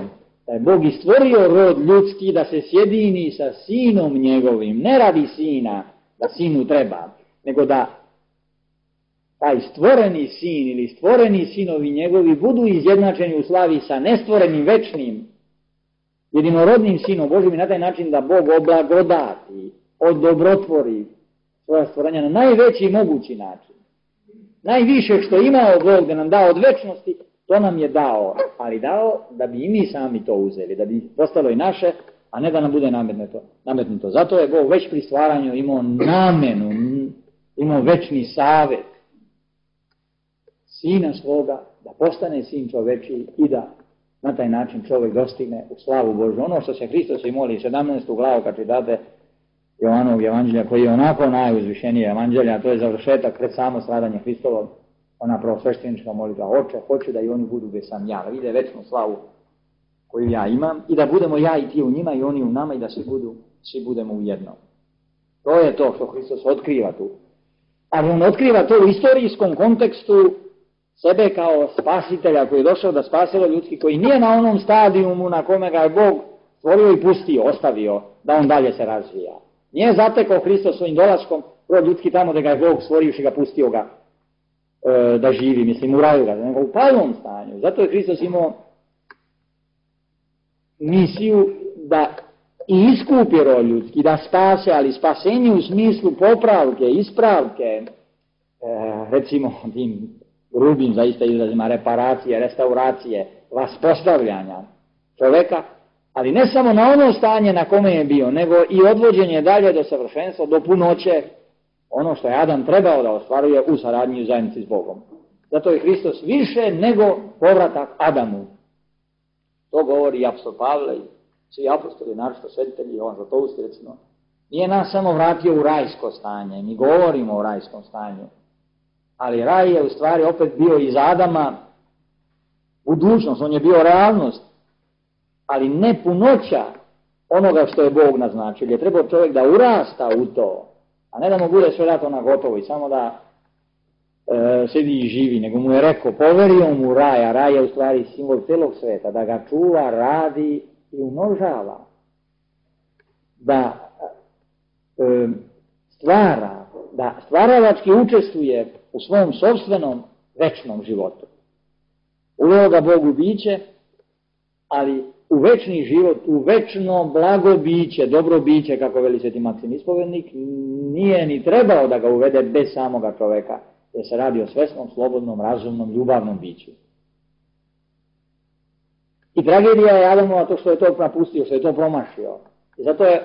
da je Bog i stvorio rod ljudski da se sjedini sa sinom njegovim, ne radi sina, da sinu treba, nego da taj stvoreni sin ili stvoreni sinovi njegovi budu izjednačeni u slavi sa nestvorenim večnim jedinorodnim sinom Božim, i na taj način da Bog oblagodati, odobrotvori svoja stvorenja na najveći mogući način. Najviše što imao Bog da nam da od večnosti, to nam je dao, ali dao da bi i mi sami to uzeli, da bi postalo i naše, a ne da nam bude nametnuto. Zato je Bog već pri stvaranju imao namenu, imao večni savjet sina svoga, da postane sin čoveči i da na taj način čovjek dostigne u slavu Božju. Ono što se Hristos i moli, 17. glavu kad čitate Jovanovog evanđelja, koji je onako najuzvišenije evanđelja, a to je završetak pred samo stradanje Hristovo, ona prvosveštenička molitva: Oče, hoću da i oni budu gdje sam ja, da vide večnu slavu koju ja imam, i da budemo ja i ti u njima i oni u nama, i da svi budemo u jednom. To je to što Hristos otkriva tu. Ali on otkriva to u istorijskom kontekstu sebe kao spasitelja koji je došao da spasilo ljudski, koji nije na onom stadijumu na kome ga je Bog stvorio i pustio, ostavio da on dalje se razvija. Nije zatekao Hristos svojim dolaskom rod ljudski tamo da ga je Bog stvorio i ga pustio ga da živi, mislim u raju ga, nego u palom stanju. Zato je Hristos imao misiju da i iskupi rod ljudski, da spase, ali spasenje u smislu popravke, ispravke, recimo tim grubim zaista izrazima, reparacije, restauracije, vaspostavljanja čoveka, ali ne samo na ono stanje na kome je bio, nego i odvođenje dalje do savršenstva, do punoće, ono što je Adam trebao da ostvaruje u saradnji i u zajednici s Bogom. Zato je Hristos više nego povratak Adamu. To govori i apostol Pavle i svi apostoli, naročito svetitelji, Jovan Zlatoust recimo. Nije nas samo vratio u rajsko stanje, mi govorimo o rajskom stanju, ali raj je u stvari opet bio iz Adama budućnost, on je bio realnost, ali ne punoća onoga što je Bog naznačio. Je trebao čovjek da urasta u to, a ne da mu bude sve dato na gotovo i samo da sedi i živi, nego mu je rekao, poverio mu raj, a raj je u stvari simbol celog sveta, da ga čuva, radi i umnožava, da stvara, da stvaralački učestvuje u svom sopstvenom večnom životu. Uveo ga Bog u biće, ali u večni život, u večno blago biće, dobro biće, kako veli sveti Maksim Ispovednik, nije ni trebao da ga uvede bez samoga čoveka, jer se radi o svesnom, slobodnom, razumnom, ljubavnom biću. I tragedija je Adamova to što je to napustio, što je to promašio. I zato je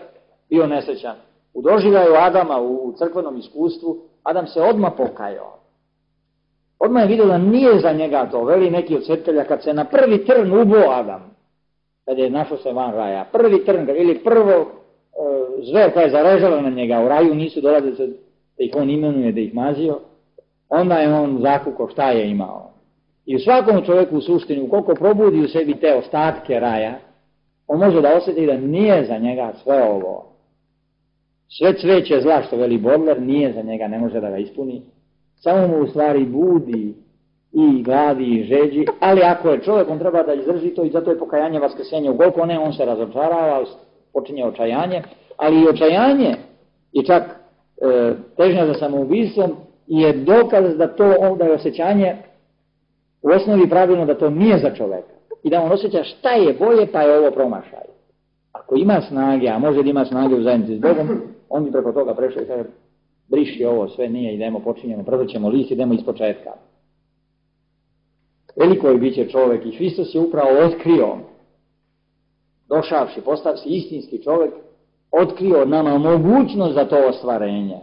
bio nesrećan. U doživljaju Adama, u crkvenom iskustvu, Adam se odmah pokajao. Odmah je vidio da nije za njega to, veli neki od svetitelja, kad se na prvi trn ubo Adam, kad je našao se van raja, prvi trn, ili prvo zver koja je zarežala na njega, u raju nisu dolazili da ih on imenuje, da ih mazio, onda je on zakukao šta je imao. I u svakom čovjeku u suštini, ukoliko probudi u sebi te ostatke raja, on može da osjeti da nije za njega sve ovo. Sve cveće zla, što veli Bodler, nije za njega, ne može da ga ispuni. Samo mu u stvari budi i gladi i žeđi, ali ako je čovjek, on treba da izdrži to i zato je pokajanje vaskrsenje. Ukoliko ne, on se razočarava, počinje očajanje, ali i očajanje i čak težnja za samoubistvom je dokaz da da je osjećanje u osnovi pravilno da to nije za čovjeka i da on osjeća šta je bolje pa je ovo promašaj. Ako ima snage, a može da ima snage u zajednici s Bogom, on bi preko toga prešao i kaže briši ovo, sve nije, idemo, počinjemo, prevrćemo list, idemo iz početka. Veliko je biće čovjek i Hristos je upravo otkrio, došavši, postavši istinski čovjek, otkrio nama mogućnost za to ostvarenje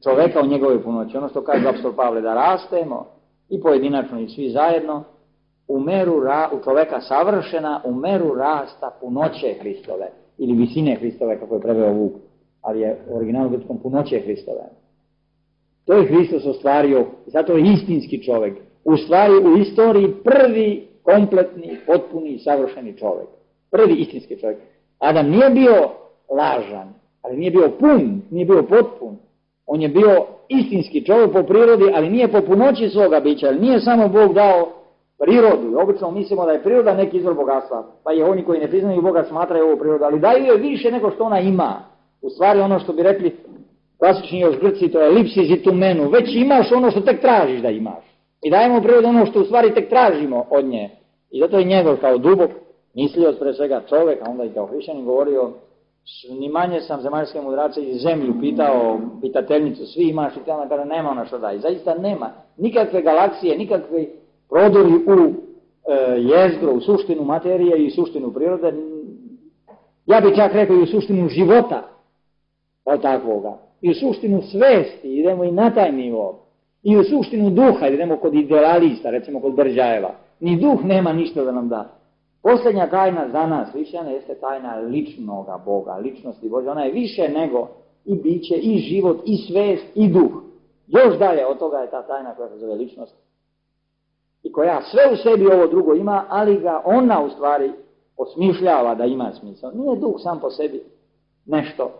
čovjeka u njegove punoći. Ono što kaže apostol Pavle, da rastemo i pojedinačno i svi zajedno u meru u čovjeka savršena, u meru rasta punoće Hristove ili visine Hristove, kako je preveo Vuk, ali je u originalu grčkom punoće Hristove. To je Hristos ostvario, zato je istinski čovjek. U stvari u istoriji prvi kompletni, potpuni, savršeni čovjek. Prvi istinski čovjek. Adam nije bio lažan, ali nije bio pun, nije bio potpun. On je bio istinski čovjek po prirodi, ali nije po punoći svoga bića. Nije samo Bog dao prirodu. Obično mislimo da je priroda neki izvor bogatstva. Pa i oni koji ne priznaju Boga smatraju ovo prirodu, ali daju je više nego što ona ima. U stvari ono što bi rekli klasični još Grci, to je lipsis i tumenu. Već imaš ono što tek tražiš da imaš. I dajemo prirodu ono što u stvari tek tražimo od nje. I zato je njegov kao dubok mislioc, pre svega čovjek, a onda i kao hrišćanin govorio, ni manje sam zemaljske mudrace iz zemlju pitao, pitateljnicu, svi imaš i tamo kada nema ona što daje. Zaista nema nikakve galaksije, nikakve prodori u jezgro, u suštinu materije i suštinu prirode. Ja bih čak rekao i u suštinu života kao takvoga. I u suštinu svesti, idemo i na taj nivo. I u suštinu duha, idemo kod idealista, recimo kod Brđajeva. Ni duh nema ništa da nam da. Posljednja tajna za nas, hrišćane, jeste tajna ličnoga Boga, ličnosti Božja. Ona je više nego i biće, i život, i svest, i duh. Još dalje od toga je ta tajna koja se zove ličnost. I koja sve u sebi ovo drugo ima, ali ga ona u stvari osmišljava da ima smisao. Nije duh sam po sebi nešto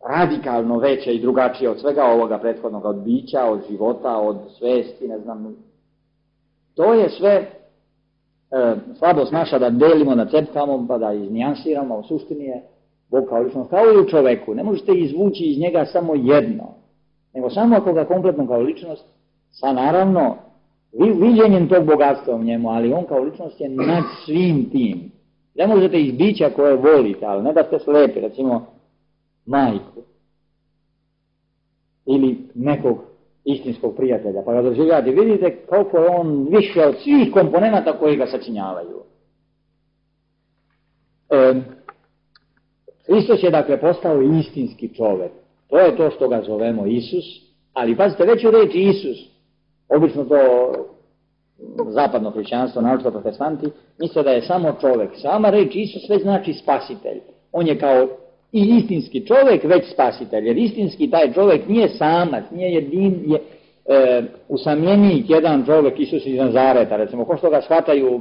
radikalno veće i drugačije od svega ovoga prethodnog, od bića, od života, od svesti, ne znam. To je sve slabost naša da delimo, da cepkamo, pa da iznijansiramo, u suštini je Bog kao ličnost, kao i u čoveku. Ne možete izvući iz njega samo jedno, nego samo ako ga kompletno kao ličnost, sa naravno viđenjem tog bogatstva u njemu, ali on kao ličnost je nad svim tim. Ne možete iz bića koje volite, ali ne da ste slepi, recimo majku ili nekog istinskog prijatelja, pa ga doživljate, vidite koliko je on više od svih komponenata koji ga sačinjavaju. Hristos je dakle postao istinski čovjek. To je to što ga zovemo Isus, ali pazite, već u reči Isus, obično to zapadno hrišćanstvo, naročito protestanti, misle da je samo čovjek. Sama reč Isus već znači spasitelj. On je kao i istinski čovjek već spasitelj, jer istinski taj čovjek nije samac, nije jedin, usamljenik jedan čovjek, Isus iz Nazareta, recimo, ko što ga shvataju,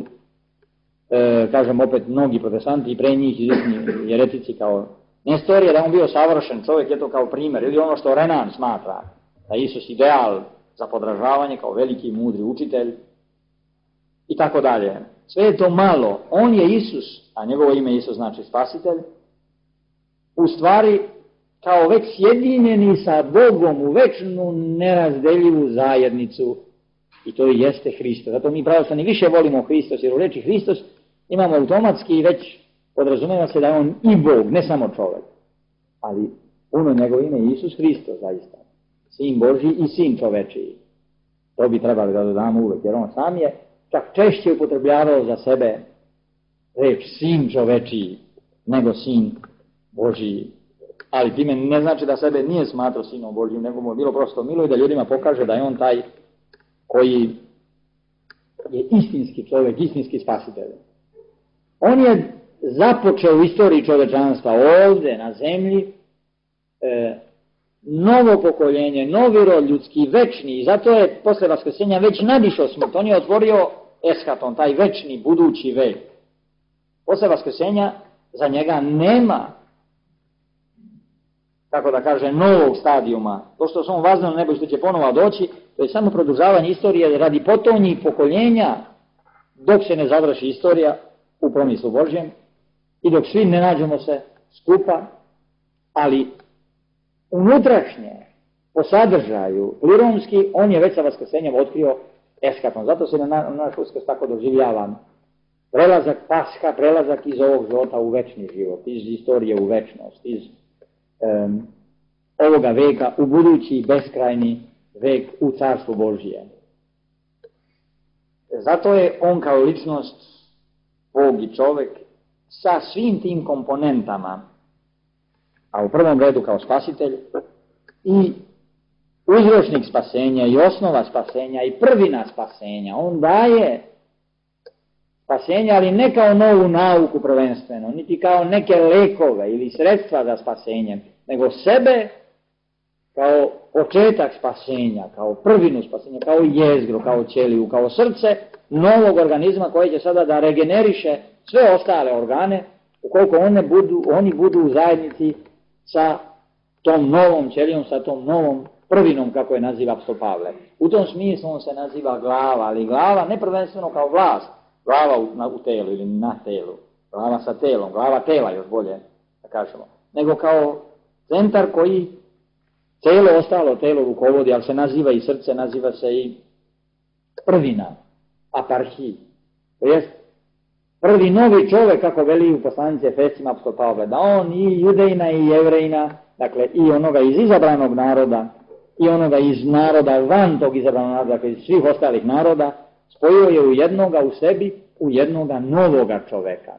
kažem opet, mnogi protestanti i pre njih izvjesni jeretici kao Nestorije, da on bio savršen čovjek, je to kao primjer, ili ono što Renan smatra, da Isus ideal za podražavanje, kao veliki mudri učitelj, i tako dalje. Sve je to malo, on je Isus, a njegovo ime Isus znači spasitelj, u stvari kao već sjedinjeni sa Bogom u večnu nerazdeljivu zajednicu, i to i jeste Hristos. Zato mi pravoslavni više volimo Hristos, jer u reči Hristos imamo automatski već podrazumeva se da je on i Bog, ne samo čovjek. Ali puno njegovo ime je Isus Hristos, zaista. Sin Božji i sin čovečiji. To bi trebali da dodamo uvek, jer on sam je čak češće upotrebljavao za sebe reč sin čovečiji nego sin Božji. Ali time ne znači da sebe nije smatrao sinom Božjim, nego mu je bilo prosto milo i da ljudima pokaže da je on taj koji je istinski čovjek, istinski spasitelj. On je započeo u istoriji čovečanstva ovdje na zemlji novo pokoljenje, novi rod ljudski, večni, i zato je posle vaskrsenja već nadišao smrt. On je otvorio eschaton, taj večni budući vek. Posle vaskrsenja za njega nema, tako da kaže, novog stadijuma. To što se on vazne na nebo i što će ponovo doći, to je samo produžavanje istorije radi potonjih pokoljenja, dok se ne završi istorija u promislu Božjem i dok svi ne nađemo se skupa, ali unutrašnje, po sadržaju, pliromski, on je već sa vaskrsenjem otkrio eschaton. Zato se na naš uskrs tako doživljavam. Prelazak Pasha, prelazak iz ovog života u večni život, iz istorije u večnost, iz ovoga veka u budući beskrajni vek u Carstvu Božije. Zato je on kao ličnost, Bog i čovek, sa svim tim komponentama, a u prvom redu kao spasitelj, i uzročnik spasenja, i osnova spasenja, i prvina spasenja. On daje spasenje, ali ne kao novu nauku prvenstveno, niti kao neke lekove ili sredstva za spasenje, nego sebe kao početak spasenja, kao prvinu spasenja, kao jezgru, kao ćeliju, kao srce novog organizma koji će sada da regeneriše sve ostale organe, ukoliko oni budu u zajednici sa tom novom ćelijom, sa tom novom prvinom, kako je naziva apostol Pavle. U tom smislu on se naziva glava, ali glava ne prvenstveno kao vlast, glava u telu ili na telu, glava sa telom, glava tela još bolje da kažemo, nego kao centar koji ostalo telo rukovodi, ali se naziva i srce, naziva se i prvina, aparhij. To jest prvi novi čovek, kako veli u poslanici Efescima apostol Pavle, da on i judejna i jevrejna, dakle i onoga iz izabranog naroda i onoga iz naroda van tog izabranog naroda, dakle iz svih ostalih naroda, spojio je u jednoga u sebi, u jednoga novoga čoveka.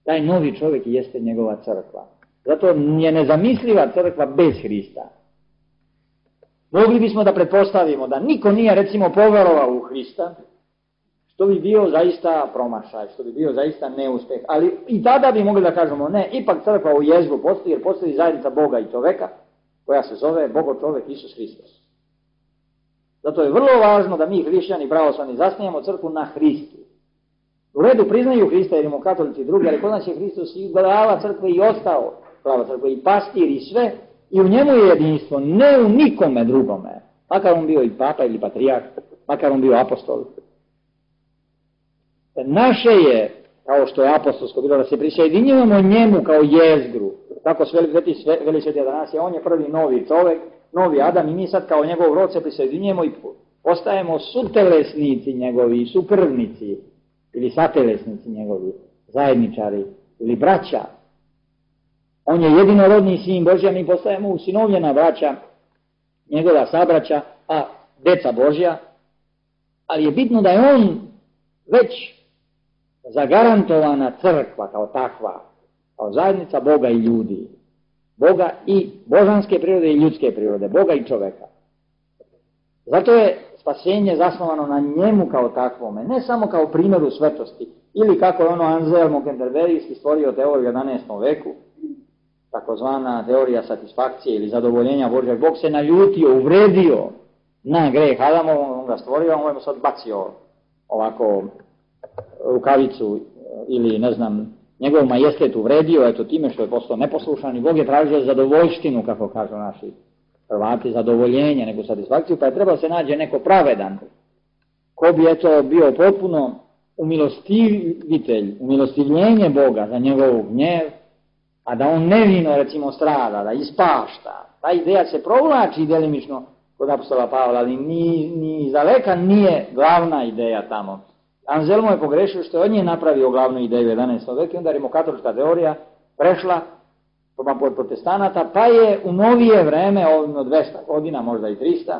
Taj novi čovek jeste njegova crkva. Zato je nezamisliva crkva bez Hrista. Mogli bismo da pretpostavimo da niko nije recimo poverovao u Hrista, što bi bio zaista promašaj, što bi bio zaista neuspeh. Ali i tada bi mogli da kažemo ne, ipak crkva u jezgru postoji, jer postoji zajednica Boga i čoveka, koja se zove Bogo čovek Isus Hristos. Zato je vrlo važno da mi hrišćani pravoslavni zasnijemo crkvu na Hristu. U redu priznaju Hrista jer imamo katolici i drugi, ali kod nas je Hristos i glava crkve i ostao glava crkve i pastir i sve, i u njemu je jedinstvo, ne u nikome drugome, makar on bio i papa ili patrijarh, makar on bio apostol. Naše je, kao što je apostolsko bilo, da se prisjedinjujemo njemu kao jezgru, tako veli sveti Atanasije, on je prvi novi čovek, novi Adam, i mi sad kao njegov rod se prisjedinjujemo i postajemo sutelesnici njegovi, sukrvnici ili satelesnici njegovi, zajedničari ili braća. On je jedinorodni sin Božja, mi postajemo usinovljena braća, njegova sabraća, a deca Božja, ali je bitno da je on već zagarantovana crkva kao takva, kao zajednica Boga i ljudi, Boga i božanske prirode i ljudske prirode, Boga i čoveka. Zato je spasenje zasnovano na njemu kao takvome, ne samo kao primjeru svetosti, ili kako je ono Anselmo Kenterberijski stvorio teoriju u 11. veku, takozvana teorija satisfakcije ili zadovoljenja Božjeg. Bog se naljutio, uvredio na greh Adamov, on ga stvorio, on mu sad bacio ovako rukavicu ili ne znam, njegov majestet uvredio, eto time što je postao neposlušan, i Bog je tražio zadovoljštinu, kako kažu naši Hrvati, zadovoljenje, neku satisfakciju, pa je trebao se nađe neko pravedan, ko bi eto bio potpuno umilostivitelj, umilostivljenje Boga za njegov gnjev, a da on nevino recimo strada, da ispašta. Ta ideja se provlači delimično kod apostola Pavla, ali ni za veka nije glavna ideja tamo. Anselmo je pogrešio što je od nje napravio glavnu ideju u 11. veku, onda rimokatolička teorija prešla pod protestanata, pa je u novije vreme, od 200 godina, možda i 300,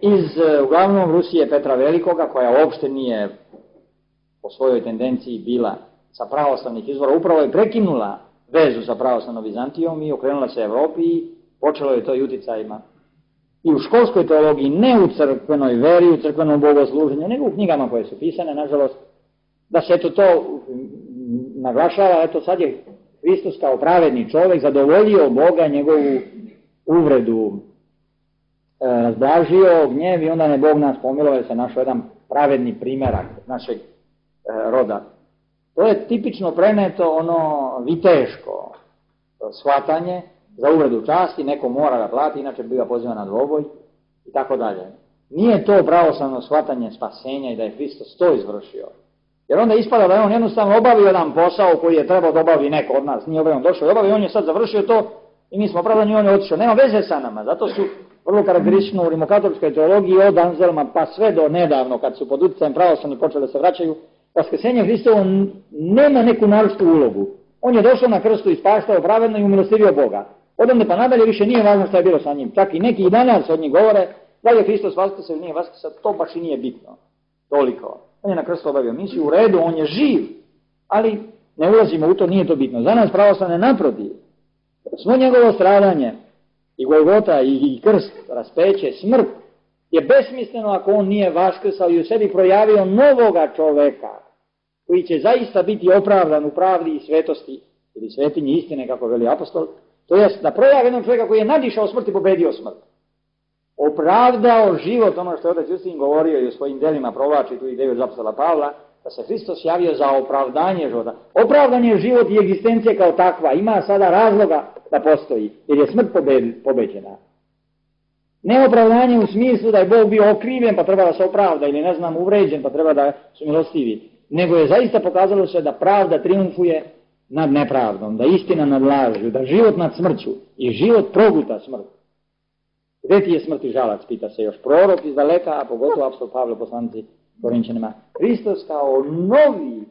iz uglavnom Rusije Petra Velikoga, koja uopšte nije po svojoj tendenciji bila sa pravoslavnih izvora, upravo je prekinula vezu sa pravoslavnom Vizantijom i okrenula se Evropi i počelo je to i uticajima. I u školskoj teologiji, ne u crkvenoj veri, u crkvenom bogosluženju, nego u knjigama koje su pisane, nažalost, da se eto to naglašava, eto sad je Hristos kao pravedni čovjek zadovoljio Boga, njegovu uvredu razblažio, gnjev, i onda ne Bog nas pomilovao jer se našao jedan pravedni primerak našeg roda. To je tipično preneto ono viteško shvatanje za uvredu časti, neko mora da plati, inače bi ga poziva na dvoboj i tako dalje. Nije to pravoslavno shvatanje spasenja i da je Hristos to izvršio. Jer onda ispada da je on jednostavno obavio jedan posao koji je trebao da obavi neko od nas. Nije obavio, on došao i obavio, on je sad završio to i mi smo opravdani i on je otišao. Nema veze sa nama, zato su vrlo karakteristično u rimokatoličkoj teologiji od Anzelma pa sve do nedavno kad su pod utjecajem pravoslavni počeli da se vraćaju, vaskrsenje Hristovo nema neku naročitu ulogu. On je došao na krstu i spastao pravedno i umilostivio Boga. Odavde pa nadalje više nije važno šta je bilo sa njim. Čak i neki i danas od njih govore da je Hristos vaskrsao ili nije vaskrsao, to baš i nije bitno. Toliko. On je na krstu obavio misiju, u redu, on je živ, ali ne ulazimo u to, nije to bitno. Za nas pravoslavne naprotiv, svo njegovo stradanje i Golgota i krst, raspeće, smrt je besmisleno ako on nije vaskrsao i u sebi projavio novoga čoveka koji će zaista biti opravdan u pravdi i svetosti ili svetinji istine, kako veli apostol, to jest da projavi jednog čovjeka koji je nadišao smrt i pobedio smrt. Opravdao život, ono što je otac Justin govorio i u svojim delima provlači tu ideju od apostola Pavla, da se Hristos javio za opravdanje života. Opravdan je život i egzistencija kao takva, ima sada razloga da postoji, jer je smrt pobeđena. Ne opravdanje u smislu da je Bog bio okrivljen pa treba da se opravda, ili ne znam uvređen pa treba da su milostivi, nego je zaista pokazalo se da pravda triumfuje nad nepravdom, da istina nad lažju, da život nad smrću i život proguta smrt. Gde ti je smrt i žalac, pita se još prorok iz daleka, a pogotovo apostol Pavle poslanici Korinćanima. Hristos kao novi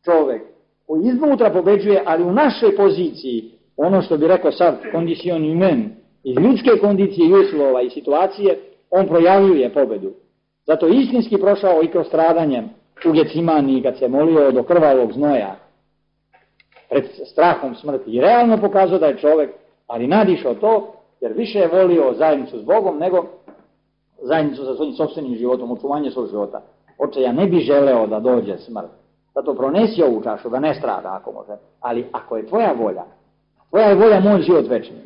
čovek koji iznutra pobeđuje, ali u našoj poziciji, ono što bi rekao sad, condition humaine, iz ljudske kondicije i uslova i situacije, on projavljuje pobedu. Zato istinski prošao i kroz stradanje u Getsimani kad se molio do krvavog znoja pred strahom smrti i realno pokazao da je čovek, ali nadišao to, jer više je volio zajednicu s Bogom nego zajednicu sa svojim sopstvenim životom, očuvanje svog života. Oče, ja ne bi želeo da dođe smrt. Zato pronesi ovu čašu, da ne strada ako može. Ali ako je tvoja je volja moj život večni.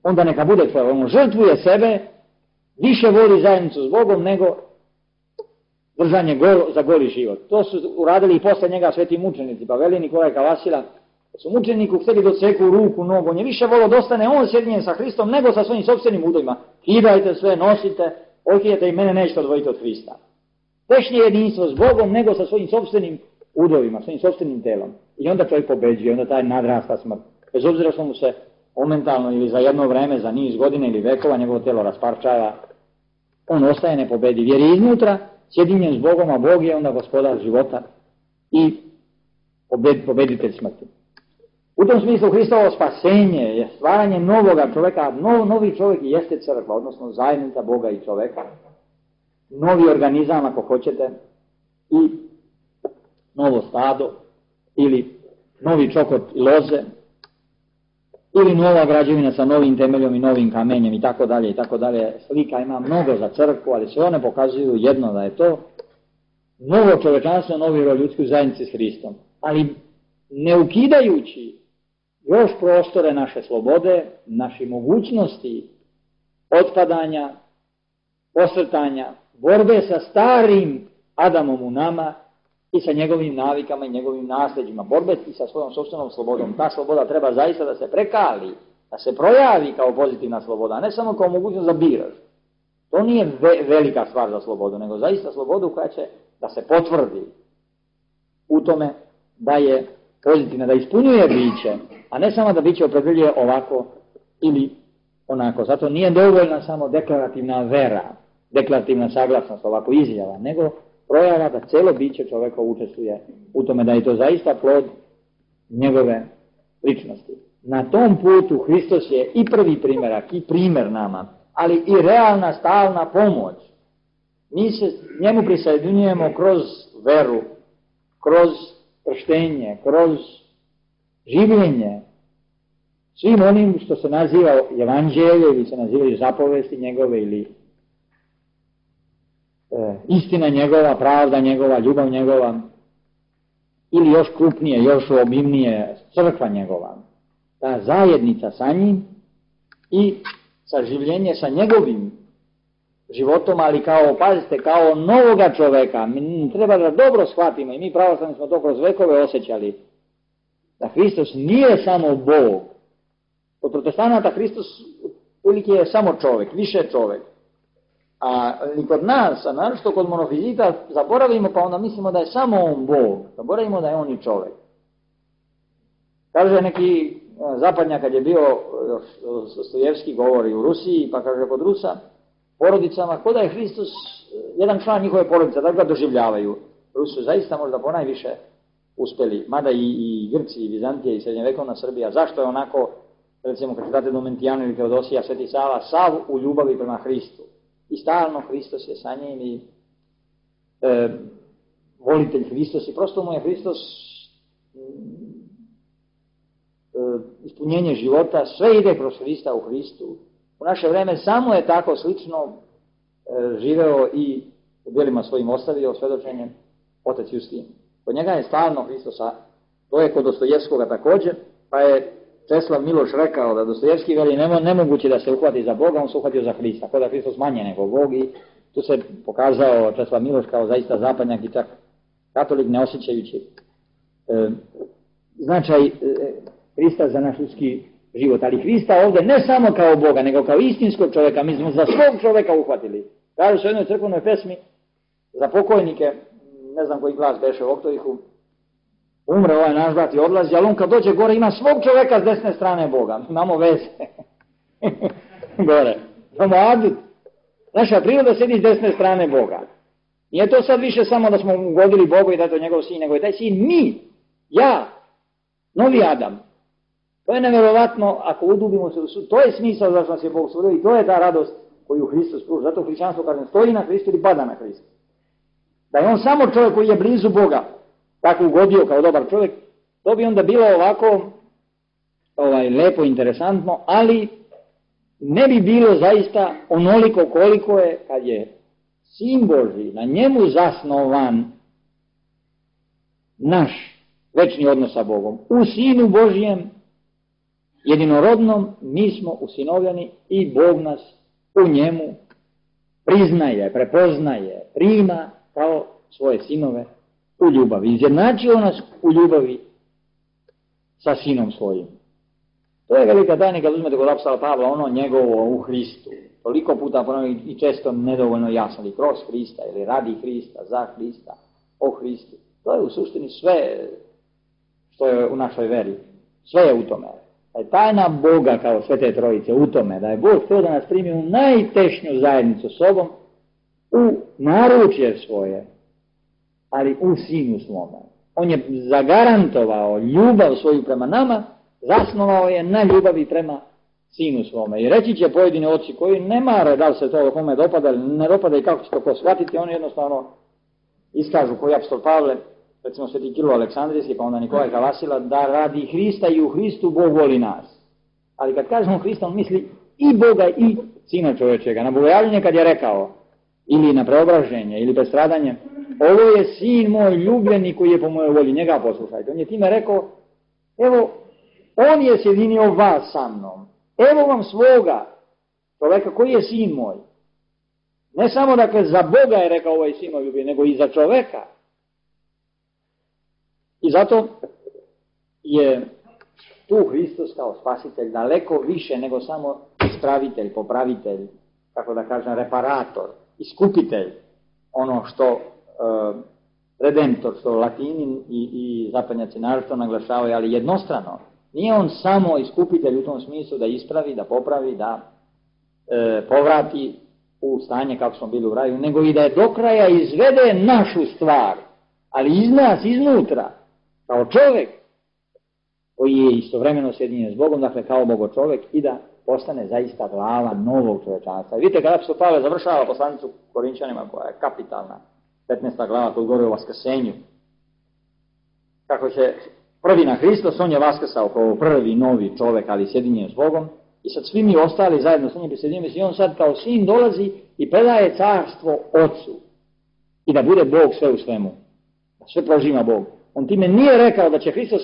Onda neka bude tvoja. On žrtvuje sebe, više voli zajednicu s Bogom nego držanje za goli život. To su uradili i posle njega sveti mučenici. Pa veli Nikolaj Kavasila, su mučeniku htjeli doceku ruku, nogu. On je više volio da ostane on sjedinjen sa Hristom nego sa svojim sopstvenim udovima. Kidajte sve, nosite, okijete i mene nećete odvojiti od Hrista. Tešnje jedinstvo s Bogom nego sa svojim sopstvenim udovima, svojim sopstvenim telom. I onda čovjek pobeđuje, onda taj nadrasta smrt. Bez obzira što mu se momentalno ili za jedno vreme, za niz godina ili vekova njegovo telo rasparčava, on ostaje nepobediv. Jer je iznutra sjedinjen s Bogom, a Bog je onda gospodar života i pobeditelj smrti. U tom smislu Hristovo spasenje je stvaranje novoga čovjeka, novi čovjek jeste crkva, odnosno zajednica Boga i čovjeka, novi organizam ako hoćete i novo stado ili novi čokot i loze ili nova građevina sa novim temeljom i novim kamenjem i tako dalje i tako dalje. Slika ima mnogo za crkvu, ali sve one pokazuju jedno da je to novo čovečanstvo, novi rod ljudsku zajednici s Hristom, ali ne ukidajući još prostore naše slobode, naše mogućnosti otpadanja, posrtanja, borbe sa starim Adamom u nama i sa njegovim navikama i njegovim nasljeđima, borbe i sa svojom sopstvenom slobodom. Ta sloboda treba zaista da se prekali, da se projavi kao pozitivna sloboda, a ne samo kao mogućnost da biraš. To nije velika stvar za slobodu, nego zaista slobodu koja će da se potvrdi u tome da je pozitivna, da ispunjuje biće, a ne samo da biće opredeljuje ovako ili onako. Zato nije dovoljna samo deklarativna vera, deklarativna saglasnost, ovako izjava, nego projava da celo biće čoveka učestvuje u tome, da je to zaista plod njegove ličnosti. Na tom putu Hristos je i prvi primjerak i primjer nama, ali i realna stalna pomoć. Mi se njemu prisajedinjujemo kroz veru, kroz krštenje, kroz življenje, svim onim što se naziva evanđelje ili se nazivaju zapovesti njegove ili istina njegova, pravda njegova, ljubav njegova ili još krupnije, još obimnije crkva njegova. Ta zajednica sa njim i saživljenje sa njegovim životom, ali kao, pazite, kao novoga čoveka. Mi treba da dobro shvatimo i mi pravoslavni smo to kroz vekove osjećali. Da Hristos nije samo Bog. Kod protestanata Hristos uvijek je samo čovek, više čovek. A i kod nas, a naročito kod monofizita, zaboravimo pa onda mislimo da je samo on Bog. Zaboravimo da je on i čovek. Kaže neki zapadnjak kad je bio, Dostojevski govori u Rusiji, pa kaže kod Rusa, porodicama, ko da je Hristos jedan član njihove porodice, da ga doživljavaju. Rusi su zaista možda ponajviše uspeli, mada i Grci, i Vizantije, i srednjevekovna Srbija. Zašto je onako, recimo kad čitate Domentijanu ili Teodosija, Sveti Sava, sav u ljubavi prema Hristu. I stalno Hristos je sa njim i volitelj Hristos i prosto mu je Hristos ispunjenje života, sve ide kroz Hrista u Hristu. U naše vreme samo je tako slično živeo i u djelima svojim ostavio svedočenjem Otac Justin. Kod njega je stalno Hristosa, to je kod Dostojevskoga također, pa je Česlav Miloš rekao da Dostojevski veli nemoguće da se uhvati za Boga, on se uhvatio za Hrista, kod da Hristos manje nego Bog i tu se pokazao Česlav Miloš kao zaista zapadnjak i čak katolik ne osjećajući značaj Hrista za naš ljudski život, ali Hrista ovdje ne samo kao Boga, nego kao istinskog čovjeka, mi smo za svog čovjeka uhvatili. Kažu se u jednoj crkvenoj pesmi za pokojnike, ne znam koji glas beše u Oktovihu, umre ovaj naš brat i odlazi, ali on kad dođe gore ima svog čovjeka s desne strane Boga. Imamo veze. Gore. Imamo adut. Naša priroda sedi s desne strane Boga. Nije to sad više samo da smo ugodili Bogu i da je to njegov sin, nego je taj sin mi, ja, novi Adam. To je nevjerovatno ako udubimo se u sud. To je smisao zašto nas je Bog stvorio i to je ta radost koju Hristos pruža. Zato hrišćanstvo kažem stoji na Hristu ili pada na Hristu. Da je on samo čovjek koji je blizu Boga, tako ugodio kao dobar čovjek, to bi onda bilo ovako lepo, interesantno, ali ne bi bilo zaista onoliko koliko je kad je Sin Božji na njemu zasnovan naš večni odnos sa Bogom. U Sinu Božjem jedinorodnom mi smo usinovljeni i Bog nas u njemu priznaje, prepoznaje, prima kao svoje sinove u ljubavi. Izjednačio nas u ljubavi sa Sinom svojim. To je velika tajna kad uzmete kod apostola Pavla, ono njegovo u Hristu. Toliko puta ponovim i često nedovoljno jasno, ili kroz Hrista, ili radi Hrista, za Hrista, o Hristu. To je u suštini sve što je u našoj veri. Sve je u tome. Da je tajna Boga kao Svete Trojice u tome, da je Bog htio da nas primi u najtešnju zajednicu sobom, u naručje svoje, ali u Sinu svome. On je zagarantovao ljubav svoju prema nama, zasnovao je na ljubavi prema Sinu svome. I reći će pojedini oci koji ne mare da li se to kome dopada ili ne dopada i kako će to ko shvatiti, oni jednostavno iskažu koji apostol Pavle, recimo Sveti Kirilo Aleksandrijski, pa onda Nikolaj Kalasila, da radi Hrista i u Hristu Bog voli nas. Ali kad kažemo Hrista, on misli i Boga i Sina čovječega. Na bogojavljenje kad je rekao, ili na preobraženje, ili prestradanje, ovo je Sin moj ljubljeni koji je po mojoj volji, njega poslušajte. On je time rekao, evo, on je sjedinio vas sa mnom. Evo vam svoga čovjeka koji je Sin moj. Ne samo dakle za Boga je rekao ovo je Sin moj ljubljeni, nego i za čovjeka. I zato je tu Hristos kao spasitelj daleko više nego samo ispravitelj, popravitelj, kako da kažem, reparator, iskupitelj, ono što redemptor, što Latini i zapadnjaci naročito naglašavaju, ali jednostrano. Nije on samo iskupitelj u tom smislu da ispravi, da popravi, da povrati u stanje kako smo bili u raju, nego i da je do kraja izvede našu stvar, ali iz nas, iznutra, kao čovjek koji je istovremeno sjedinjen s Bogom, dakle kao Bogo čovjek i da postane zaista glava novog čovječanstva. I vidite kada apostol Pavle završava poslanicu Korinčanima koja je kapitalna, 15. glava koji govori o vaskrsenju. Kako će prvi na Hristos, on je vaskrsao kao prvi novi čovjek, ali sjedinjen s Bogom i sad svi mi ostali zajedno s njim prisjedinjeni i on sad kao sin dolazi i predaje carstvo Otcu i da bude Bog sve u svemu. Da sve prožima Bog. On time nije rekao da će Hristos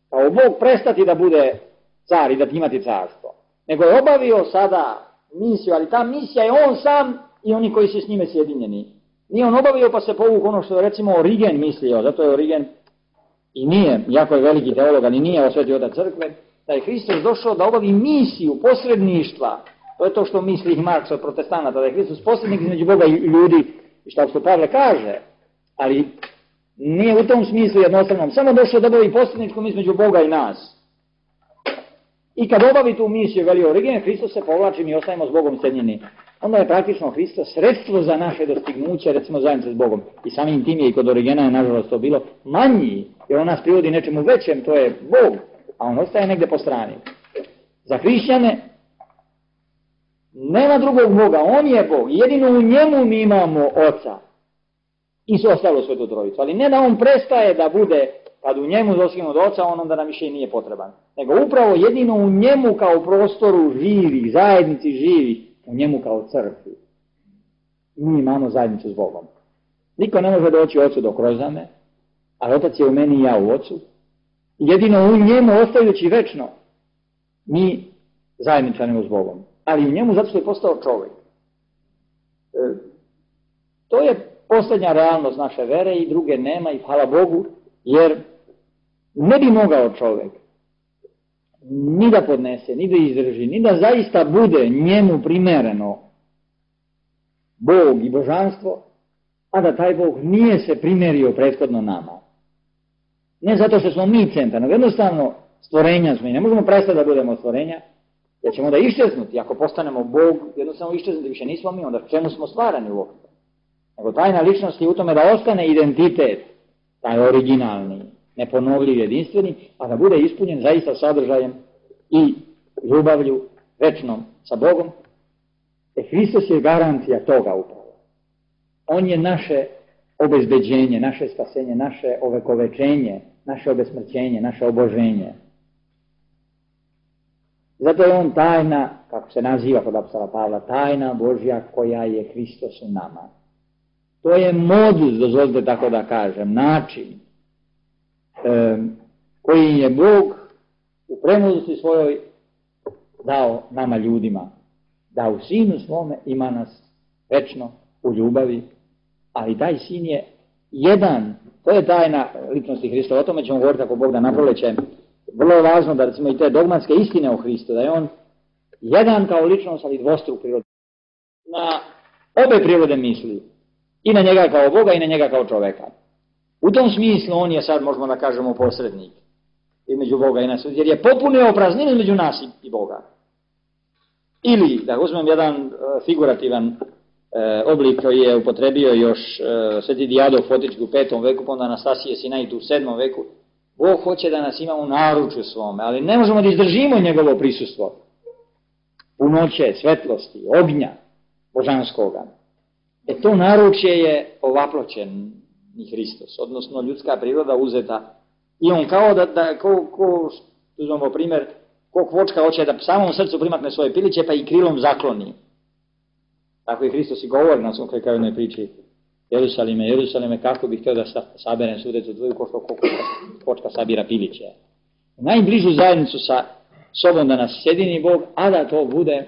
kao Bog prestati da bude car i da imati carstvo. Nego je obavio sada misiju, ali ta misija je on sam i oni koji su s njime sjedinjeni. Nije on obavio pa se povuk ono što je recimo Origen mislio, zato je Origen i nije, jako je veliki teolog, ali nije osvetio otac crkve, da je Hristos došao da obavi misiju posredništva. To je to što misli Marks od protestanata, da je Hristos posrednik između Boga i ljudi, i što Pavle kaže, ali nije u tom smislu jednostavnom, samo došao da obavi posredničkom između Boga i nas. I kad obavi tu misiju, veli Origen, Hristos se povlači, mi ostajemo s Bogom sjedinjeni. Onda je praktično Hristos sredstvo za naše dostignuće, recimo zajednice s Bogom. I samim tim je i kod Origena je nažalost to bilo manji, jer on nas privodi nečemu većem, to je Bog, a on ostaje negde po strani. Za hrišćane nema drugog Boga, on je Bog, jedino u njemu mi imamo Oca i sve ostalo Svetu Trojicu, ali ne da on prestaje da bude, kad u njemu dostignemo od Oca, on onda nam više i nije potreban, nego upravo jedino u njemu kao prostoru živi, zajednici živi, u njemu kao crkvi. Mi imamo zajednicu s Bogom. Niko ne može doći Ocu dok rozame, ali Otac je u meni i ja u Ocu. Jedino u njemu, ostajući večno, mi zajedničanimo s Bogom. Ali u njemu zato što je postao čovjek. To je posljednja realnost naše vere i druge nema i hvala Bogu, jer ne bi mogao čovjek ni da podnese, ni da izdrži, ni da zaista bude njemu primereno Bog i božanstvo, a da taj Bog nije se primerio prethodno nama. Ne zato što smo mi centar, nego jednostavno stvorenja smo i ne možemo prestati da budemo stvorenja, jer ćemo da iščeznuti. Ako postanemo Bog, jednostavno iščeznuti, više nismo mi, onda čemu smo stvarani uopšte? Nego tajna ličnost je u tome da ostane identitet, taj originalni, neponovljiv, jedinstveni, a da bude ispunjen zaista sadržajem i ljubavlju večnom sa Bogom. Hristos je garancija toga upravo. On je naše obezbeđenje, naše spasenje, naše ovekovečenje, naše obesmrćenje, naše oboženje. Zato je on tajna, kako se naziva kod apostola Pavla, tajna Božja koja je Hristos u nama. To je modus, dozvolite tako da kažem, način koji je Bog u premudrosti svojoj dao nama ljudima, da u Sinu svome ima nas večno u ljubavi, ali taj Sin je jedan, to je tajna ličnosti Hrista, o tome ćemo govoriti ako Bog da naproleće. Vrlo je važno da recimo i te dogmatske istine o Hristu, da je on jedan kao ličnost, ali dvostruk prirode. Na obe prirode misli, i na njega kao Boga i na njega kao čoveka. U tom smislu on je sad, možemo da kažemo, posrednik između Boga i nas, jer je popunio prazninu između nas i Boga. Ili, da uzmem jedan figurativan oblik koji je upotrebio još sveti Dijado Fotički u 5. veku, pa onda Anastasije Sinajt u 7. veku, Bog hoće da nas ima u naručju svome, ali ne možemo da izdržimo njegovo prisustvo. Punoće, svetlosti, ognja božanskoga. To naručje je ovaploćen i Hristos, odnosno ljudska priroda uzeta. I on kao uzmemo primjer, ko kvočka hoće da samom srcu primakne svoje piliće, pa i krilom zakloni. Tako i Hristos i govori na svom krajnoj priči. Jerusalime, Jerusalime, kako bih htio da saberem sudecu tvoju, ko što kvočka sabira piliće. U najbližu zajednicu sa sobom da nas sjedini Bog, a da to bude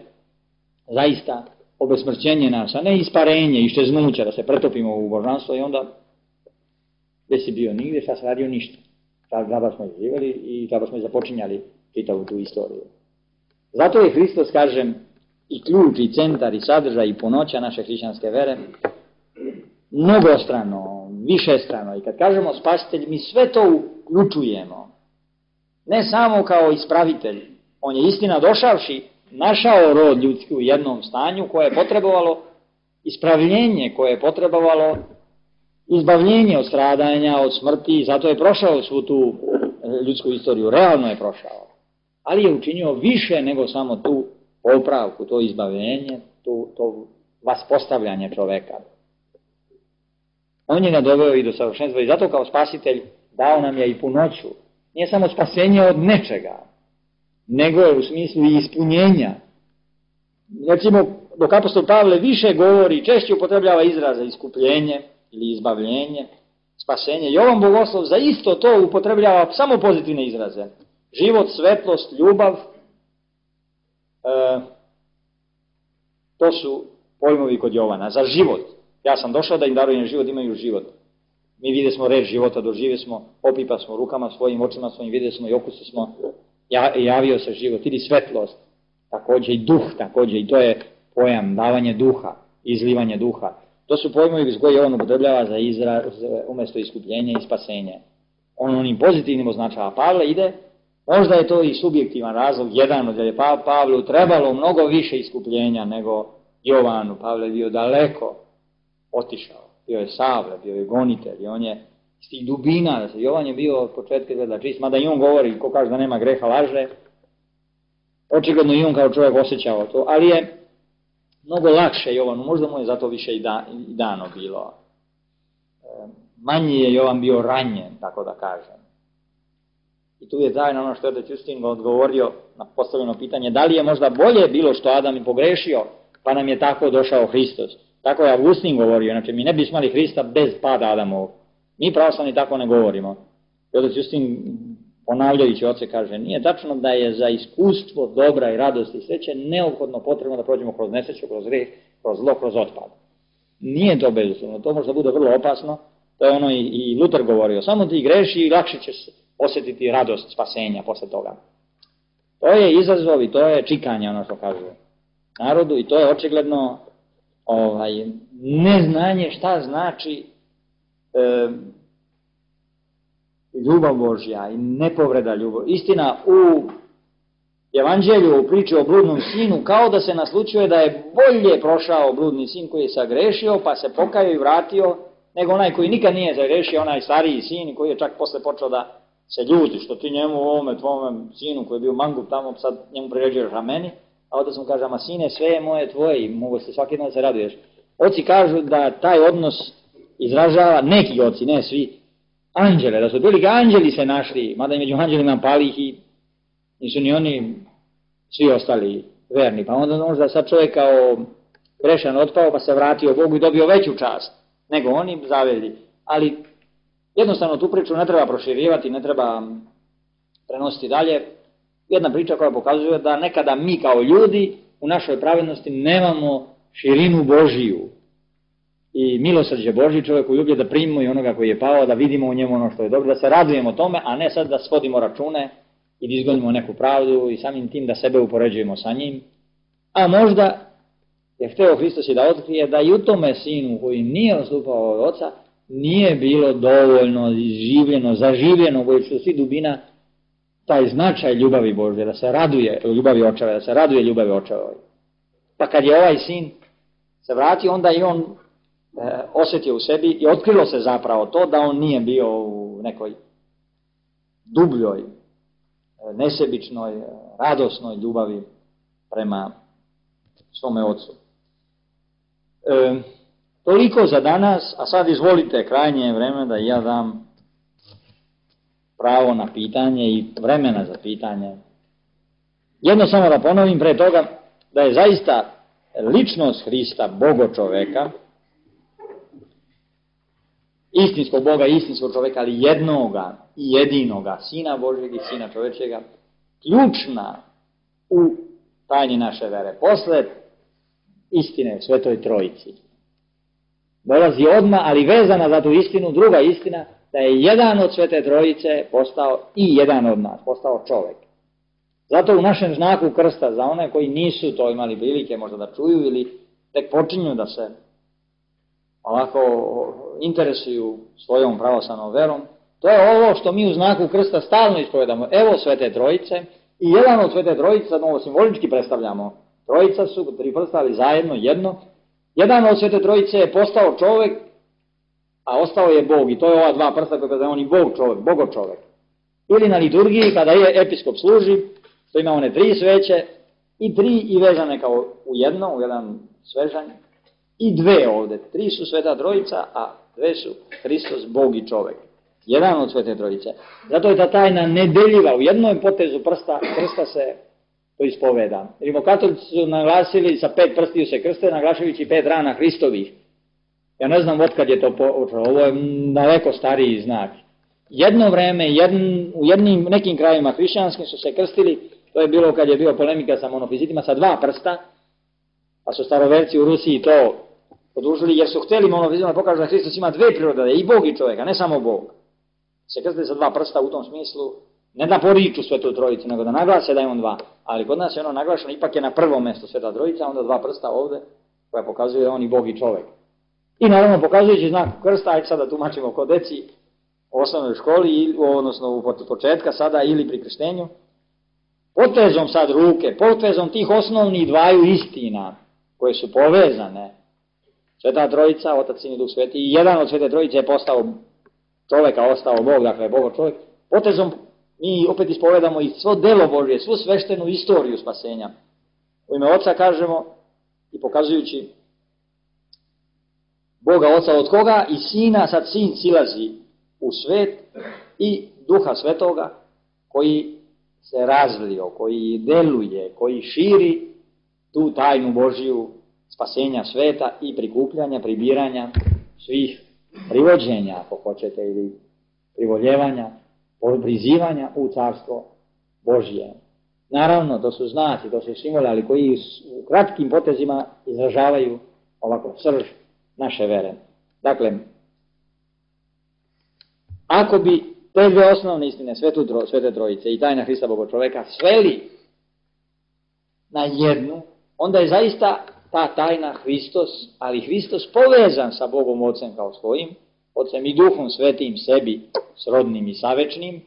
zaista obesmrćenje nas, a ne isparenje, iščeznuće, da se pretopimo u božanstvo i onda gdje si bio nigdje, šta se radio ništa. Džaba smo živjeli i džaba smo započinjali čitavu tu istoriju. Zato je Hristos, kažem, i ključ, i centar, i sadržaj, i punoća naše hrišćanske vere, mnogostrano, višestrano. I kad kažemo spasitelj, mi sve to uključujemo. Ne samo kao ispravitelj. On je istina došavši, našao rod ljudski u jednom stanju koje je potrebovalo ispravljenje, koje je potrebovalo izbavljenje od stradanja, od smrti, zato je prošao svu tu ljudsku istoriju, realno je prošao. Ali je učinio više nego samo tu popravku, to izbavljenje, to vaspostavljanje čoveka. On je ga doveo i do savršenstva i zato kao spasitelj dao nam je i punoću. Nije samo spasenje od nečega, nego je u smislu i ispunjenja. Recimo, dok apostol Pavle više govori, češće upotrebljava izraze iskupljenje ili izbavljenje, spasenje. Jovan Bogoslov za isto to upotrebljava samo pozitivne izraze. Život, svetlost, ljubav, to su pojmovi kod Jovana, za život. Ja sam došao da im darujem život, imaju život. Mi vidjeli smo reč života, doživjeli smo, opipa smo rukama svojim, očima svojim, vidjeli smo i okusi smo, javio se život, ili svetlost, također i duh, također i to je pojam davanje duha, izlivanje duha. To su pojmovi koje on upotrebljava za izraz umjesto iskupljenja i spasenja. On onim pozitivnim označava. Pavle ide, možda je to i subjektivan razlog, jedan od je Pavlu trebalo mnogo više iskupljenja nego Jovanu. Pavle je bio daleko otišao, bio je Savle, bio je gonitelj i on je iz tih dubina, Jovan je bio od početka izgleda čist, mada i on govori, ko kaže da nema greha laže, očigledno i on kao čovjek osjećao to, ali je mnogo lakše Jovanu, možda mu je zato više i dano bilo. Manji je Jovan bio ranjen, tako da kažem. I tu je tajno ono što je Justin odgovorio na postavljeno pitanje, da li je možda bolje bilo što Adam i pogrešio, pa nam je tako došao Hristos. Tako je Augustin govorio, znači mi ne bi imali Hrista bez pada Adamovog. Mi pravoslavni tako ne govorimo. I Justin, ponavljajući oce, kaže, nije tačno da je za iskustvo dobra i radosti i sreće neophodno potrebno da prođemo kroz nesreću, kroz greh, kroz zlo, kroz otpad. Nije to bezuslovno, to možda bude vrlo opasno, to je ono i Luter govorio, samo ti greši i lakše ćeš osjetiti radost spasenja posle toga. To je izazov i to je čikanje, ono što kažu narodu, i to je očigledno neznanje šta znači ljubav Božja i nepovreda ljubav. Istina, u Evanđelju, u priči o bludnom sinu, kao da se naslučuje da je bolje prošao bludni sin koji je sagrešio, pa se pokajao i vratio, nego onaj koji nikad nije zagrešio, onaj stariji sin koji je čak posle počeo da se ljuti, što ti njemu ovome tvome sinu koji je bio mangup tamo, sad njemu priređuješ rameni, a onda sam kaže, ama sine, sve je moje tvoje i mogu se svaki dan se raduješ. Oci kažu da taj odnos izražava, neki oci, ne svi, anđele, da su otprilike anđeli se našli, mada i među anđelima palih i nisu ni oni svi ostali verni, pa onda možda sad čovjek kao grešan otpao pa se vratio Bogu i dobio veću čast nego oni zaveli, ali jednostavno tu priču ne treba proširivati, ne treba prenositi dalje. Jedna priča koja pokazuje da nekada mi kao ljudi u našoj pravednosti nemamo širinu Božiju i milosrđe Božje, čovjek koji ljubi da primimo i onoga koji je pao, da vidimo u njemu ono što je dobro, da se radujemo tome, a ne sad da svodimo račune i da izgonimo neku pravdu i samim tim da sebe upoređujemo sa njim. A možda je hteo Hristos i da otkrije da i u tome sinu koji nije odstupao od oca nije bilo dovoljno izživljeno, zaživljeno, bojući svi dubina, taj značaj ljubavi Božje, da se raduje ljubavi očeva, da se raduje ljubavi očeva. Pa kad je ovaj sin se vratio, onda i on osjetio u sebi i otkrilo se zapravo to da on nije bio u nekoj dubljoj, nesebičnoj, radosnoj ljubavi prema svome ocu. Toliko za danas, a sad izvolite, krajnje je vreme da ja dam pravo na pitanje i vremena za pitanje. Jedno samo da ponovim pre toga, da je zaista ličnost Hrista, Bogo čoveka, istinskog Boga i istinskog čoveka, ali jednoga i jedinoga, Sina Božjeg i Sina čovečega, ključna u tajni naše vere. Posle istine Svetoj Trojici dolazi odmah, ali vezana za tu istinu, druga istina, da je jedan od Svete Trojice postao i jedan od nas, postao čovek. Zato u našem znaku krsta, za one koji nisu to imali prilike možda da čuju ili tek počinju da se ovako interesuju svojom pravoslavnom verom, to je ovo što mi u znaku krsta stalno ispovedamo. Evo Svete Trojice i jedan od Svete Trojice, sad ovo simbolički predstavljamo. Trojica su, tri prsta, ali zajedno jedno. Jedan od Svete Trojice je postao čovek, a ostao je Bog. I to je ova dva prsta kada je on i Bog čovek, Bogo čovek. Ili na liturgiji kada je episkop služi, to ima one tri sveće i tri i vezane kao u jedan svežanj. I dve ovde. Tri su Sveta Trojica, a dve su Hristos, Bog i čovek. Jedan od Svete Trojice. Zato je ta tajna nedeljiva. U jednom potezu krsta se to ispoveda. Rimokatolici su naglasili sa 5 prstiju se krste, naglašajući 5 rana Hristovih. Ja ne znam otkad je to počelo. Ovo je daleko stariji znak. Jedno vreme, u nekim krajima hrišćanskim su se krstili, to je bilo kad je bio polemika sa monofizitima, sa 2 prsta, Pa su staroverci u Rusiji to podužili jer su htjeli monofizmom da pokažu da Hristos ima dve prirode, da je i Bog i čovjek, a ne samo Bog. Se krste sa dva prsta u tom smislu, ne da poriču Svetu Trojicu, nego da naglase da je on dva. Ali kod nas je ono naglašeno, ipak je na prvom mjestu Sveta Trojica, onda dva prsta ovdje, koja pokazuje da on i Bog i čovjek. I naravno pokazujući znak krsta, ajde sada tumačimo kod deci u osnovnoj školi, odnosno u početka sada ili pri krštenju, potezom sad ruke, potezom tih osnovnih dvaju istina, koje su povezane, Sveta Trojica, Otac, Sin i Duh Sveti, i jedan od Svete Trojice je postao čovjeka, ostao Bog, dakle Bogo čovjek, potezom mi opet ispovedamo i svo delo Božje, svu sveštenu istoriju spasenja. U ime Oca kažemo i pokazujući Boga Oca od koga i Sina, sad Sin silazi u svet i Duha Svetoga koji se razlio, koji deluje, koji širi tu tajnu Božju spasenja sveta i prikupljanja, pribiranja svih privođenja, ako hoćete, ili privoljevanja, prizivanja u carstvo Božje. Naravno, to su znaci, to su simboli, ali koji u kratkim potezima izražavaju ovako srž naše vere. Dakle, ako bi te dve osnovne istine, Svete Trojice i tajna Hrista Boga čoveka, sveli na jednu, onda je zaista ta tajna Hristos, ali Hristos povezan sa Bogom Ocem kao svojim, Ocem i Duhom Svetim sebi, srodnim i savečnim,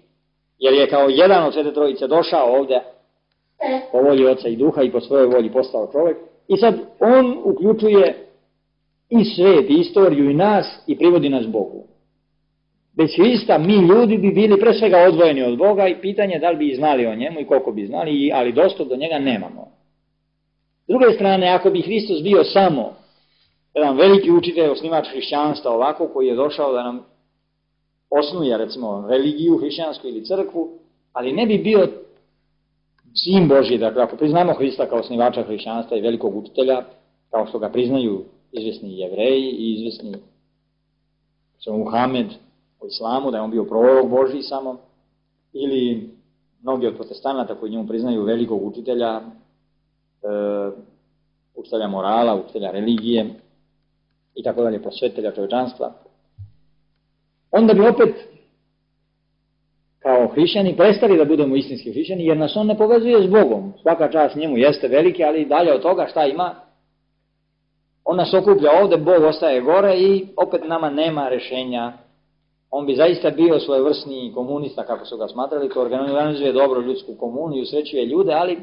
jer je kao jedan od Svete Trojice došao ovdje po volji Oca i Duha i po svojoj volji postao čovjek. I sad on uključuje i svet, i istoriju, i nas, i privodi nas Bogu. Bez Hrista mi ljudi bi bili pre svega odvojeni od Boga i pitanje da li bi znali o njemu i koliko bi znali, ali dostup do njega nemamo. S druge strane, ako bi Hristos bio samo jedan veliki učitelj, osnivač hrišćanstva ovako, koji je došao da nam osnuje, recimo, religiju hrišćansku ili crkvu, ali ne bi bio Sin Božji, dakle, ako priznamo Hrista kao osnivača hrišćanstva i velikog učitelja, kao što ga priznaju izvesni Jevreji i izvesni Muhamed u islamu, da je on bio prorok Božji samo, ili mnogi od protestanata koji njemu priznaju velikog učitelja, učitelja morala, učitelja religije i tako dalje, prosvetitelja čovječanstva, onda bi opet kao hrišćani prestali da budemo istinski hrišćani, jer nas on ne povezuje s Bogom. Svaka čast njemu jeste veliki, ali dalje od toga šta ima? On nas okuplja ovdje, Bog ostaje gore i opet nama nema rešenja. On bi zaista bio svojevrsni komunista, kako su ga smatrali, koji organizuje dobro ljudsku komunu i usrećuje ljude, ali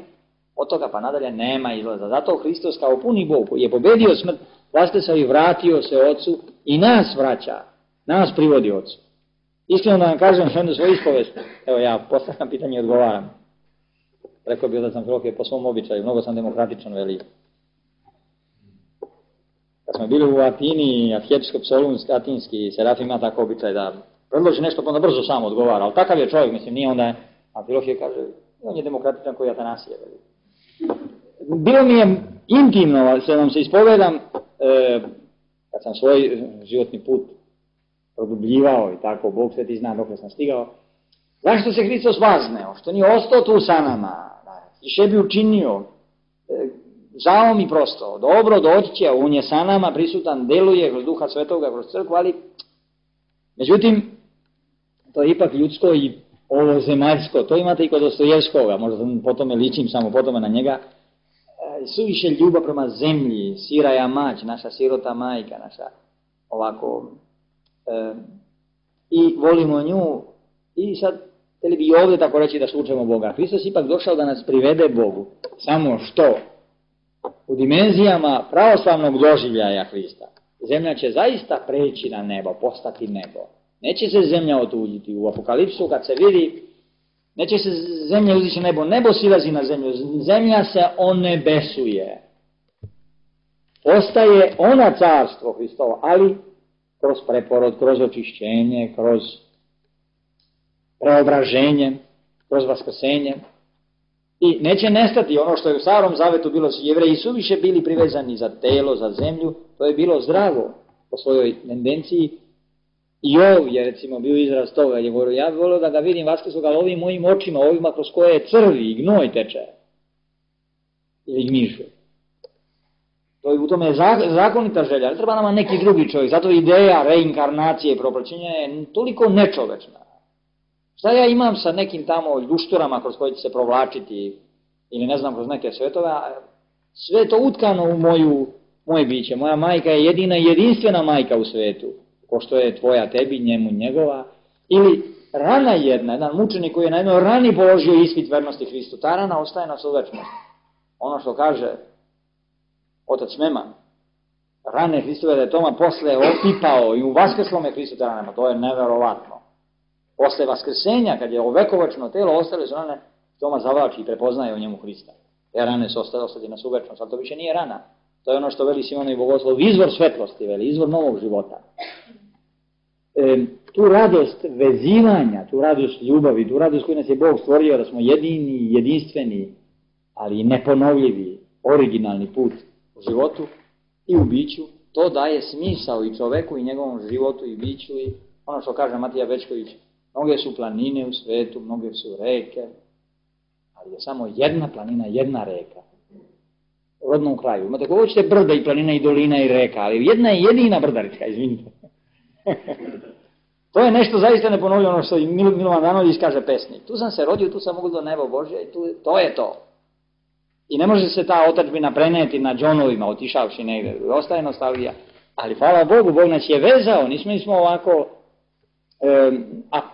od toga pa nadalje nema izlaza. Zato Hristos kao puni Bog je pobedio smrt, vaskrsao i vratio se Ocu i nas vraća, nas privodi Ocu. Iskreno da vam kažem jednu svoju ispovest, evo ja postavljam pitanje i odgovaram. Rekao bi da sam Filohije po svom običaju, mnogo sam demokratičan, veli. Kad smo bili u Atini, arhijepiskop Solunski, atinski, Serafim ima tako običaj da predloži nešto, pa onda brzo sam odgovara, ali takav je čovjek, mislim, nije onda, a Filohije kaže, on je demokratičan koji Atanasije, veli. Bilo mi je intimno, se vam se ispovedam, kad sam svoj životni put produbljivao i tako, Bog sveti zna dok sam stigao, zašto se Hristos vazneo, što nije ostao tu sa nama, i še bi učinio, žao mi prosto, dobro doći će, on je sa nama prisutan, deluje kroz Duha Svetoga, kroz crkvu, ali međutim, to je ipak ljudsko i ovo zemaljsko, to imate i kod Dostojevskoga, možda po tome ličim samo po tome na njega, suviše ljubav prema zemlji, siraja mać, naša sirota majka, naša ovako, i volimo nju, i sad, htjeli bi ovdje tako reći da slučajemo Boga. Hristos ipak došao da nas privede Bogu, samo što u dimenzijama pravoslavnog doživljaja Hrista, zemlja će zaista preći na nebo, postati nebo. Neće se zemlja otuđiti. U Apokalipsu kad se vidi, neće se zemlja uzići na nebo, nebo silazi na zemlju, zemlja se onebesuje. Ostaje ona carstvo Hristovo, ali kroz preporod, kroz očišćenje, kroz preobraženje, kroz vaskrsenje. I neće nestati ono što je u Starom Zavetu bilo, Jevreji su više bili privezani za telo, za zemlju, to je bilo zdravo po svojoj tendenciji. I ovdje, recimo, bio izraz toga, je govorio, ja bih volio da ga vidim vaskrsoga, ali ovim mojim očima, ovima kroz koje crvi i gnoj teče. Ili gmižu. U tome je zakonita želja, ali treba nama neki drugi čovjek. Zato ideja reinkarnacije i propraćenja je toliko nečovečna. Šta ja imam sa nekim tamo ljušturama kroz koje će se provlačiti, ili ne znam, kroz neke svetove, sve je to utkano u moje biće. Moja majka je jedina i jedinstvena majka u svetu, ko što je tvoja tebi, njemu, njegova. Ili rana jedan mučenik koji je na jednoj rani položio ispit vernosti Hristu. Ta rana ostaje nas u večnosti. Ono što kaže otac Meman, rane Hristove da je Toma posle opipao i u vaskrslome Hristu te ranama, to je neverovatno. Posle vaskrsenja, kad je ovekovačno telo, ostale su rane, Toma zavlači i prepoznaje u njemu Hrista. Te rane su ostali nas u večnost, ali to više nije rana. To je ono što veli Simonovi Bogoslov, izvor svetlosti, veli, izvor novog života. Tu radost vezivanja, tu radost ljubavi, tu radost koju nas je Bog stvorio, da smo jedini, jedinstveni, ali neponovljivi, originalni put u životu i u biću, to daje smisao i čoveku i njegovom životu i biću i ono što kaže Matija Bečković, mnoge su planine u svetu, mnoge su reke, ali je samo jedna planina, jedna reka. U rodnom kraju. Imate kako hoćete brda i planina i dolina i reka, ali jedna je jedina brdarička, izvinite. To je nešto zaista neponovljeno, ono što i Milovan Danović kaže pesnik. Tu sam se rodio, tu sam mogao do nebo Božje i to je to. I ne može se ta otadžbina preneti na džonovima, otišavši negdje. Ostaje nostalgija. Ali hvala Bogu, Bog nas je vezao, nismo ovako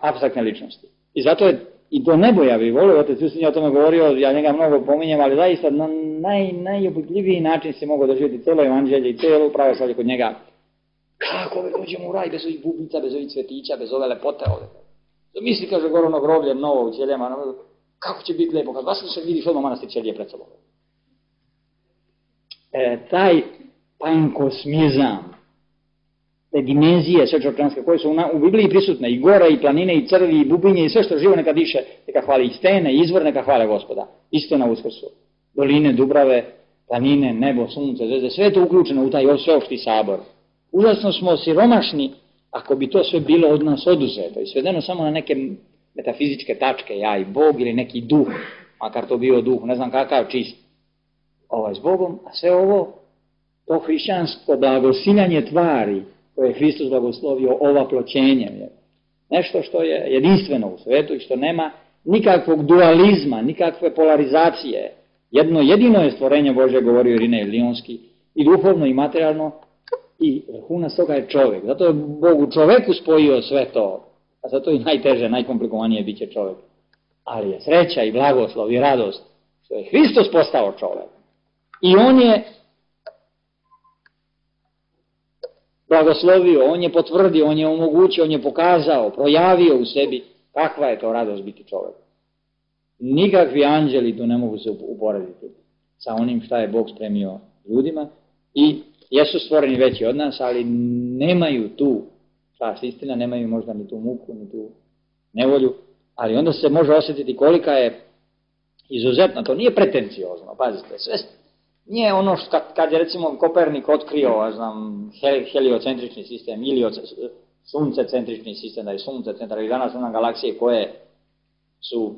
apstraktne ličnosti. I zato je i to nebo ja bih volio, otac Justin je o tome govorio, ja njega mnogo pominjem, ali zaista na najopipljiviji način se mogu doživjeti celo evanđelje i celo pravoslavlje kod njega. Kako dođemo u raj bez ovih bubica, bez ovih cvetića, bez ove lepote ovdje. Misli, kaže, Gorono groblje, novo u Ćelijama, kako će biti lijepo, kad vas se vidiš odmah manastir Ćelije pred sobom. Taj pankosmizam, te dimenzije svečorčanske koje su u Bibliji prisutne, i gora, i planine, i crvi, i bubinje, i sve što živo neka diše, neka hvali, i stene, i izvor neka hvale Gospoda. Isto na Uskrsu. Doline, dubrave, planine, nebo, sunce, zvezde, sve je to uključeno u taj sveopšti sabor. Užasno smo siromašni ako bi to sve bilo od nas oduzeto i svedeno samo na neke metafizičke tačke, ja i Bog ili neki duh, makar to bio duh, ne znam kakav čist, s Bogom, a sve ovo, to hrišćansko blagosiljanje tvari koje je Hristos blagoslovio ovaploćenjem, je nešto što je jedinstveno u svetu i što nema nikakvog dualizma, nikakve polarizacije. Jedino je stvorenje Božje, govorio Irinej Lionski, i duhovno i materijalno, i vrhunac toga je čovjek. Zato je Bog u čoveku spojio sve to, a zato i najteže, najkomplikovanije bit će čovjek. Ali je sreća i blagoslov i radost što je Hristos postao čovjek. I on je blagoslovio, on je potvrdio, on je omogućio, on je pokazao, projavio u sebi kakva je to radost biti čovjek. Nikakvi anđeli tu ne mogu se uporediti sa onim šta je Bog spremio ljudima i jesu stvoreni veći od nas, ali nemaju tu čast istina, nemaju možda ni tu muku, ni tu nevolju, ali onda se može osjetiti kolika je izuzetna, to nije pretenciozno, pazite, sve nije ono što kad je recimo Kopernik otkrio, heliocentrični sistem ili suncecentrični sistem, da je sunce centar i danas nam galaksije koje su,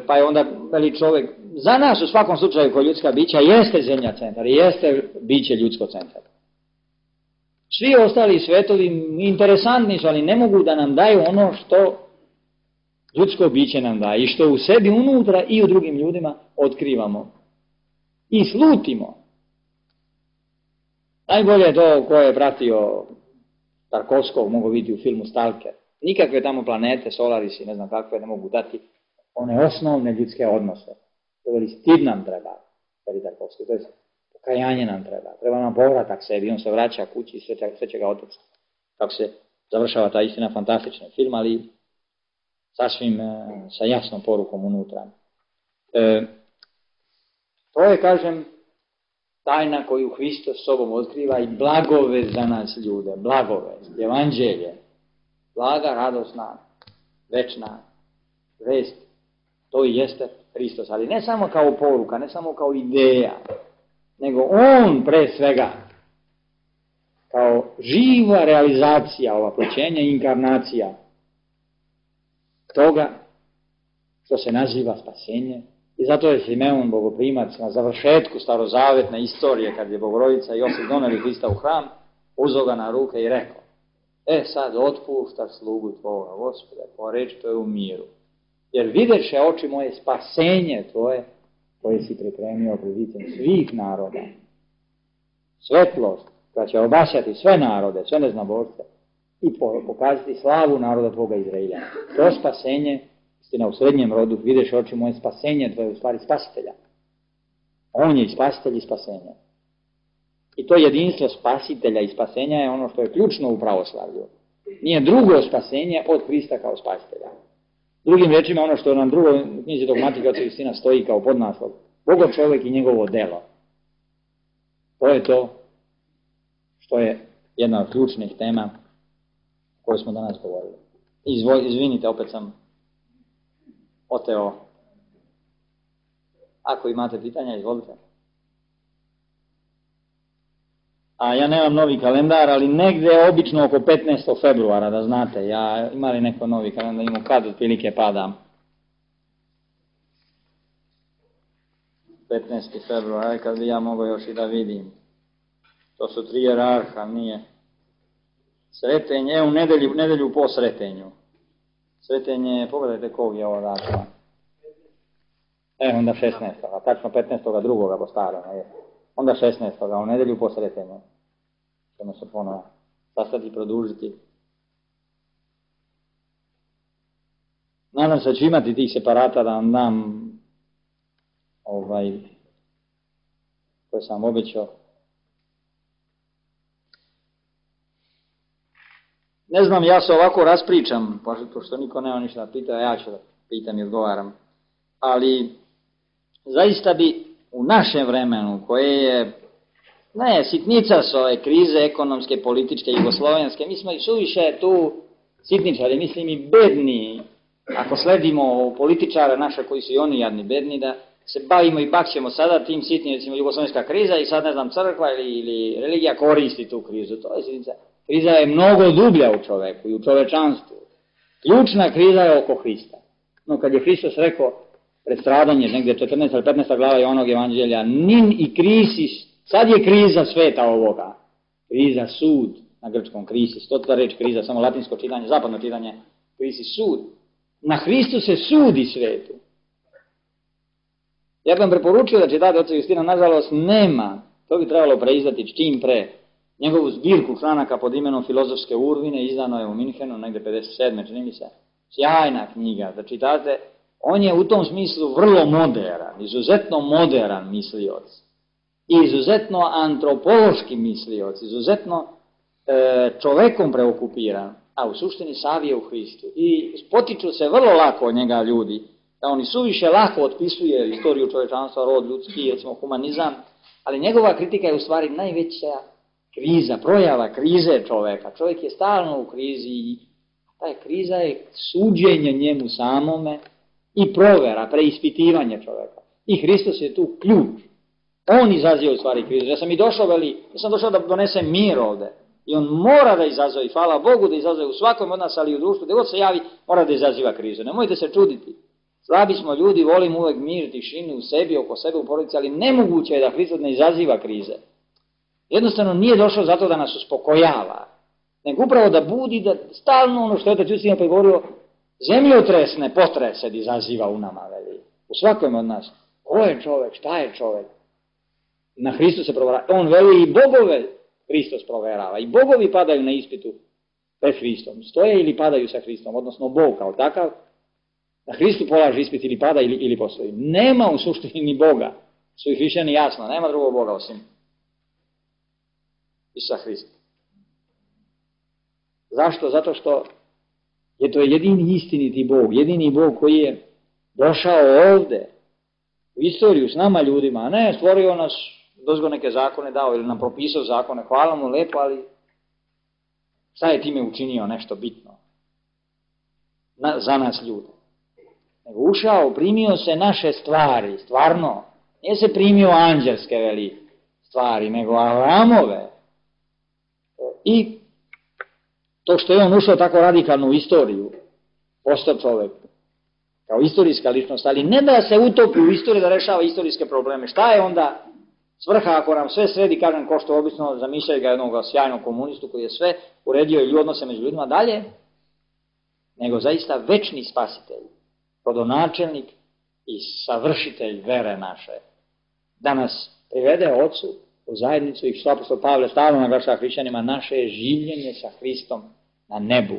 pa je onda veli čovjek, za nas u svakom slučaju kao ljudska bića jeste zemlja centar, jeste biće ljudsko centar. Svi ostali svetovi interesantni su, ali ne mogu da nam daju ono što ljudsko biće nam daje i što u sebi unutra i u drugim ljudima otkrivamo i slutimo. Najbolje je to ko je pratio Tarkovskog, mogu vidjeti u filmu Stalker. Nikakve tamo planete, Solarisi, ne znam kakve, ne mogu dati one osnovne ljudske odnose. To je stid nam treba, veli Tarkovski, to je pokajanje nam treba nam povratak sebi, on se vraća kući i sve će ga otići. Kako se završava ta istina, fantastičan film, ali sasvim sa jasnom porukom unutra. To je, kažem, tajna koju Hristos sobom otkriva i blagove za nas ljude, blagove, evanđelje, blaga, radosna, večna vest, to i jeste Hristos, ali ne samo kao poruka, ne samo kao ideja, nego on pre svega kao živa realizacija ovaploćenja i inkarnacija toga što se naziva spasenje I zato je Simeon Bogoprimac na završetku starozavetne istorije, kad je Bogorodica i Josip doneli Hrista u hram, uzeo ga na ruke i rekao: sad otpuštaš slugu tvoga, Gospode, po reči to je u miru. Jer videše oči moje spasenje tvoje, koje si pripremio pred licem svih naroda. Svetlost koja će obasjati sve narode, sve neznabožce i pokazati slavu naroda tvoga Izraelja. To spasenje, istina u srednjem rodu, videš oči moje spasenje tvoje, u stvari spasitelja. On je i spasitelj i spasenje. I to jedinstvo spasitelja i spasenja je ono što je ključno u pravoslavlju. Nije drugo spasenje od Hrista kao spasitelja. Drugim rečima, ono što nam drugo u knjizi Dogmatika Oca Justina stoji kao podnaslov: Bogo čovjek i njegovo delo. To je to što je jedna od ključnih tema o kojoj smo danas govorili. Izvinite, opet sam oteo. Ako imate pitanja, izvolite. A ja nemam novi kalendar, ali negde obično oko 15. februara, da znate. Ja imali neko novi kalendar, imam kad otprilike padam. 15. februar, kad bi ja mogao još i da vidim. To su 3 jerarha, nije. Sretenje, u nedelju po Sretenju. Sretenje, pogledajte kog je ovo datuma. Onda 16. Tačno 15. drugoga po starom. Onda 16. u nedelju po Sretenju. Ćemo se ponovo sastati i produžiti. Nadam se da ću imati tih separata da vam dam koje sam obećao. Ne znam, ja se ovako raspričam, pošto niko nema ništa da pita, ja ću da pitam i odgovaram. Ali zaista bi u našem vremenu, koje je, sitnica su ove krize ekonomske, političke, jugoslovenske, mi smo i suviše tu sitničari, mislim i bedni, ako sledimo političare naše koji su i oni jadni bedni, da se bavimo i bakćemo sada tim sitnim, recimo jugoslovenska kriza i sad ne znam crkva ili religija koristi tu krizu, to je sitnica. Kriza je mnogo dublja u čoveku i u čovečanstvu. Ključna kriza je oko Hrista. No, kad je Hristos rekao pred stradanje, negdje 14. ili 15. glava Jovanovog evanđelja, nin i krisis, sad je kriza sveta ovoga. Kriza sud, na grčkom krisis, to ta reč kriza, samo latinsko čitanje, zapadno čitanje, krisis sud. Na Hristu se sudi svetu. Ja bih vam preporučio da čitate Oca Justina, nažalost nema, to bi trebalo preizdati čim pre, njegovu zbirku članaka pod imenom Filozofske urvine, izdano je u Minhenu, negde 57. čini mi se, sjajna knjiga, da čitate. On je u tom smislu vrlo moderan, izuzetno moderan mislioc, i izuzetno antropološki mislioc, izuzetno čovekom preokupiran, a u suštini savije u Hristu. I potiču se vrlo lako od njega ljudi, da on i suviše lako otpisuje istoriju čovečanstva, rod ljudski, recimo humanizam, ali njegova kritika je u stvari najveća kriza, projava krize čoveka. Čovjek je stalno u krizi i ta kriza je suđenje njemu samome i provera, preispitivanje čoveka. I Hristos je tu ključ. On izaziva u stvari krizu. Ja sam došao da donesem mir ovde. I on mora da izazove, i hvala Bogu da izazove u svakom od nas, ali i u društvu, gdje god se javi, mora da izaziva krizu. Nemojte se čuditi. Slabi smo ljudi, volimo uvek mir, tišinu u sebi, oko sebe, u porodici, ali nemoguće je da Hristos ne izaziva krize. Jednostavno nije došao zato da nas uspokojava, nego upravo da budi, da stalno ono što je Otac Justin pregovorio, zemljotresne potrese da izaziva u nama, veli. U svakom od nas. Ko je čovek, šta je čovek? Na Hristu se proverava. On veli i bogove Hristos proverava. I bogovi padaju na ispitu pred Hristom. Stoje ili padaju sa Hristom, odnosno Bog kao takav. Na Hristu polaže ispit ili pada ili postoji. Nema u suštini ni Boga. Su i hrišćani jasno, nema drugog Boga osim Isusa Hrista. Zašto? Zato što je to jedini istiniti Bog, jedini Bog koji je došao ovde u istoriju s nama ljudima, a ne stvorio nas, dozgo neke zakone dao ili nam propisao zakone, hvala mu lepo, ali šta je time učinio nešto bitno za nas ljude? Nego ušao, primio se naše stvari, stvarno, nije se primio anđelske veli stvari, nego Avramove. I to što je on ušao tako radikalno u istoriju, postao čovek, kao istorijska ličnost, ali ne da se utopi u istoriju da rešava istorijske probleme. Šta je onda svrha ako nam sve sredi, kažem, ko što obično zamišljaju ga jednog sjajnog komunistu koji je sve uredio i odnose među ljudima dalje, nego zaista večni spasitelj, rodonačelnik i savršitelj vere naše, da nas privede Ocu u zajednicu i što apostol Pavle stalno naglašava hrišćanima, naše je življenje sa Hristom na nebu.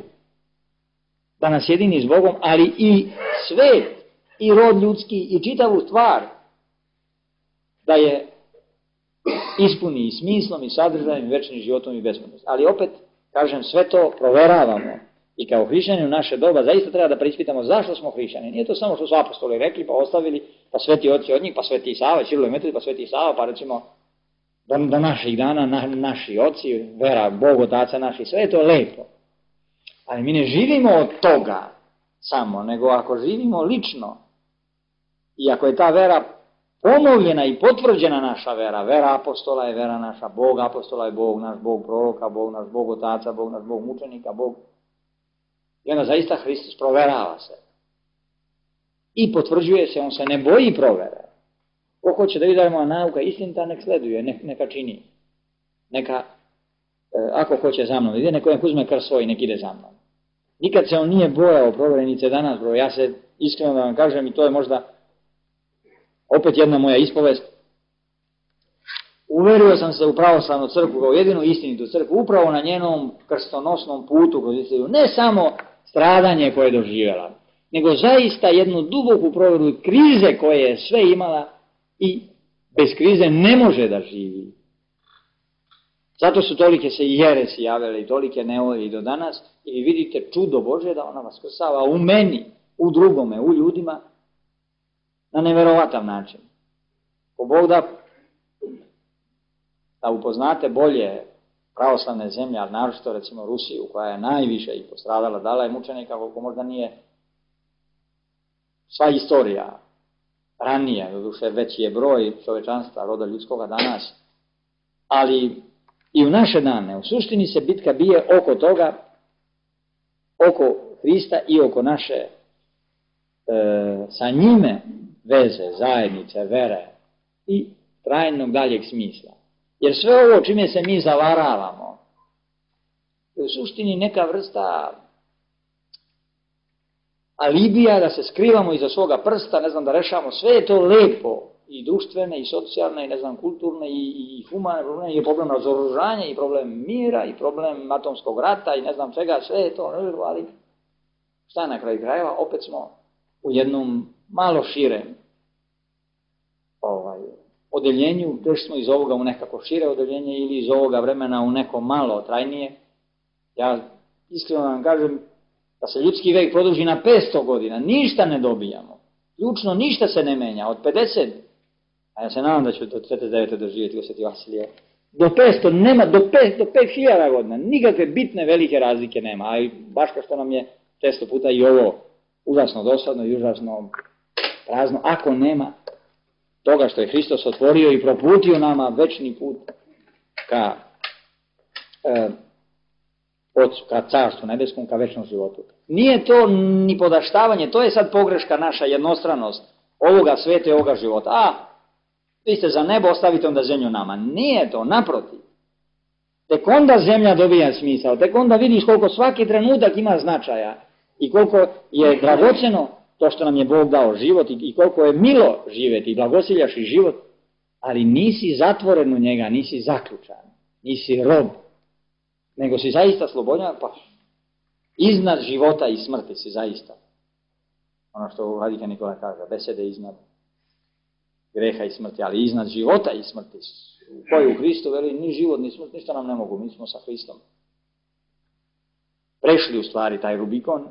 Da nas jedini s Bogom, ali i svet, i rod ljudski, i čitavu stvar, da je ispuni i smislom, i sadržajem, i večnim životom, i besmrtnost. Ali opet, kažem, sve to proveravamo. I kao hrišćani u naše doba zaista treba da preispitamo zašto smo hrišćani. Nije to samo što su apostoli rekli, pa ostavili, pa sveti oci od njih, pa sveti Sava, Ćirilo i Metodij, pa sveti Sava, pa recimo do naših dana naši oci, vera, Bog, Otaca naši, sve je to lepo. Ali mi ne živimo od toga samo, nego ako živimo lično i ako je ta vera ponovljena i potvrđena naša vera, vera apostola je vera naša, Bog apostola je Bog, naš Bog proroka, Bog naš Bog Otaca, Bog naš Bog mučenika, Bog. I onda zaista Hristos proverava se. I potvrđuje se, on se ne boji provere. Ko hoće da vidi da je moja nauka istinita, nek sleduje, neka čini. Neka, ako hoće za mnom, ide neko uzme krst svoj, nek ide za mnom. Nikad se on nije bojao proverenice danas, bro. Ja se iskreno da vam kažem, i to je možda opet jedna moja ispovest. Uverio sam se u pravoslavnu crkvu kao jedinu istinitu crkvu, upravo na njenom krstonosnom putu kroz istoriju. Ne samo stradanje koje je doživjela, nego zaista jednu duboku proveru krize koje je sve imala i bez krize ne može da živi. Zato su tolike se i jeresi javile i tolike nevolje i do danas i vi vidite čudo Božje da ona vaskrsava u meni, u drugome, u ljudima na neverovatav način. Ko Bog da upoznate bolje pravoslavne zemlje, ali naročito recimo Rusiju, koja je najviše i postradala, dala je mučenika koliko možda nije sva istorija ranije, doduše veći je broj čovečanstva, roda ljudskoga danas, ali i u naše dane, u suštini se bitka bije oko toga, oko Hrista i oko naše sa njime veze, zajednice, vere i trajnog daljeg smisla. Jer sve ovo čime se mi zavaravamo je u suštini neka vrsta alibija da se skrivamo iza svoga prsta, ne znam, da rešavamo, sve je to lepo, i društvene, i socijalne, i ne znam, kulturne, i humane probleme, i problem razoružanja, i problem mira, i problem atomskog rata, i ne znam čega, sve je to, ali šta na kraju krajeva, opet smo u jednom malo širem odeljenju, prešli smo iz ovoga u nekako šire odeljenje ili iz ovoga vremena u neko malo trajnije. Ja iskreno vam kažem da se ljudski vek produži na 500 godina, ništa ne dobijamo. Ključno ništa se ne menja, od 50, a ja se nadam da ću do 49. doživjeti Sveti Vasilije, do 500 nema, do 5000 godina, nikakve bitne velike razlike nema, a i baš kao što nam je često puta i ovo užasno dosadno i užasno prazno, ako nema toga što je Hristos otvorio i proputio nama večni put ka carstvu nebeskom, ka večnom životu. Nije to ni podaštavanje, to je sad pogreška naša, jednostranost ovoga sveta i ovoga života. Vi ste za nebo, ostavite onda zemlju nama. Nije to, naprotiv. Tek onda zemlja dobija smisao, tek onda vidiš koliko svaki trenutak ima značaja i koliko je dragoceno to što nam je Bog dao život i koliko je milo živjeti i blagosiljaš i život, ali nisi zatvoren u njega, nisi zaključan, nisi rob, nego si zaista slobodan, pa iznad života i smrti si zaista. Ono što Vladika Nikola kaže, besede iznad greha i smrti, ali iznad života i smrti. Koji u Hristu veli, ni život, ni smrt, ništa nam ne mogu, mi smo sa Hristom prešli u stvari taj Rubikon.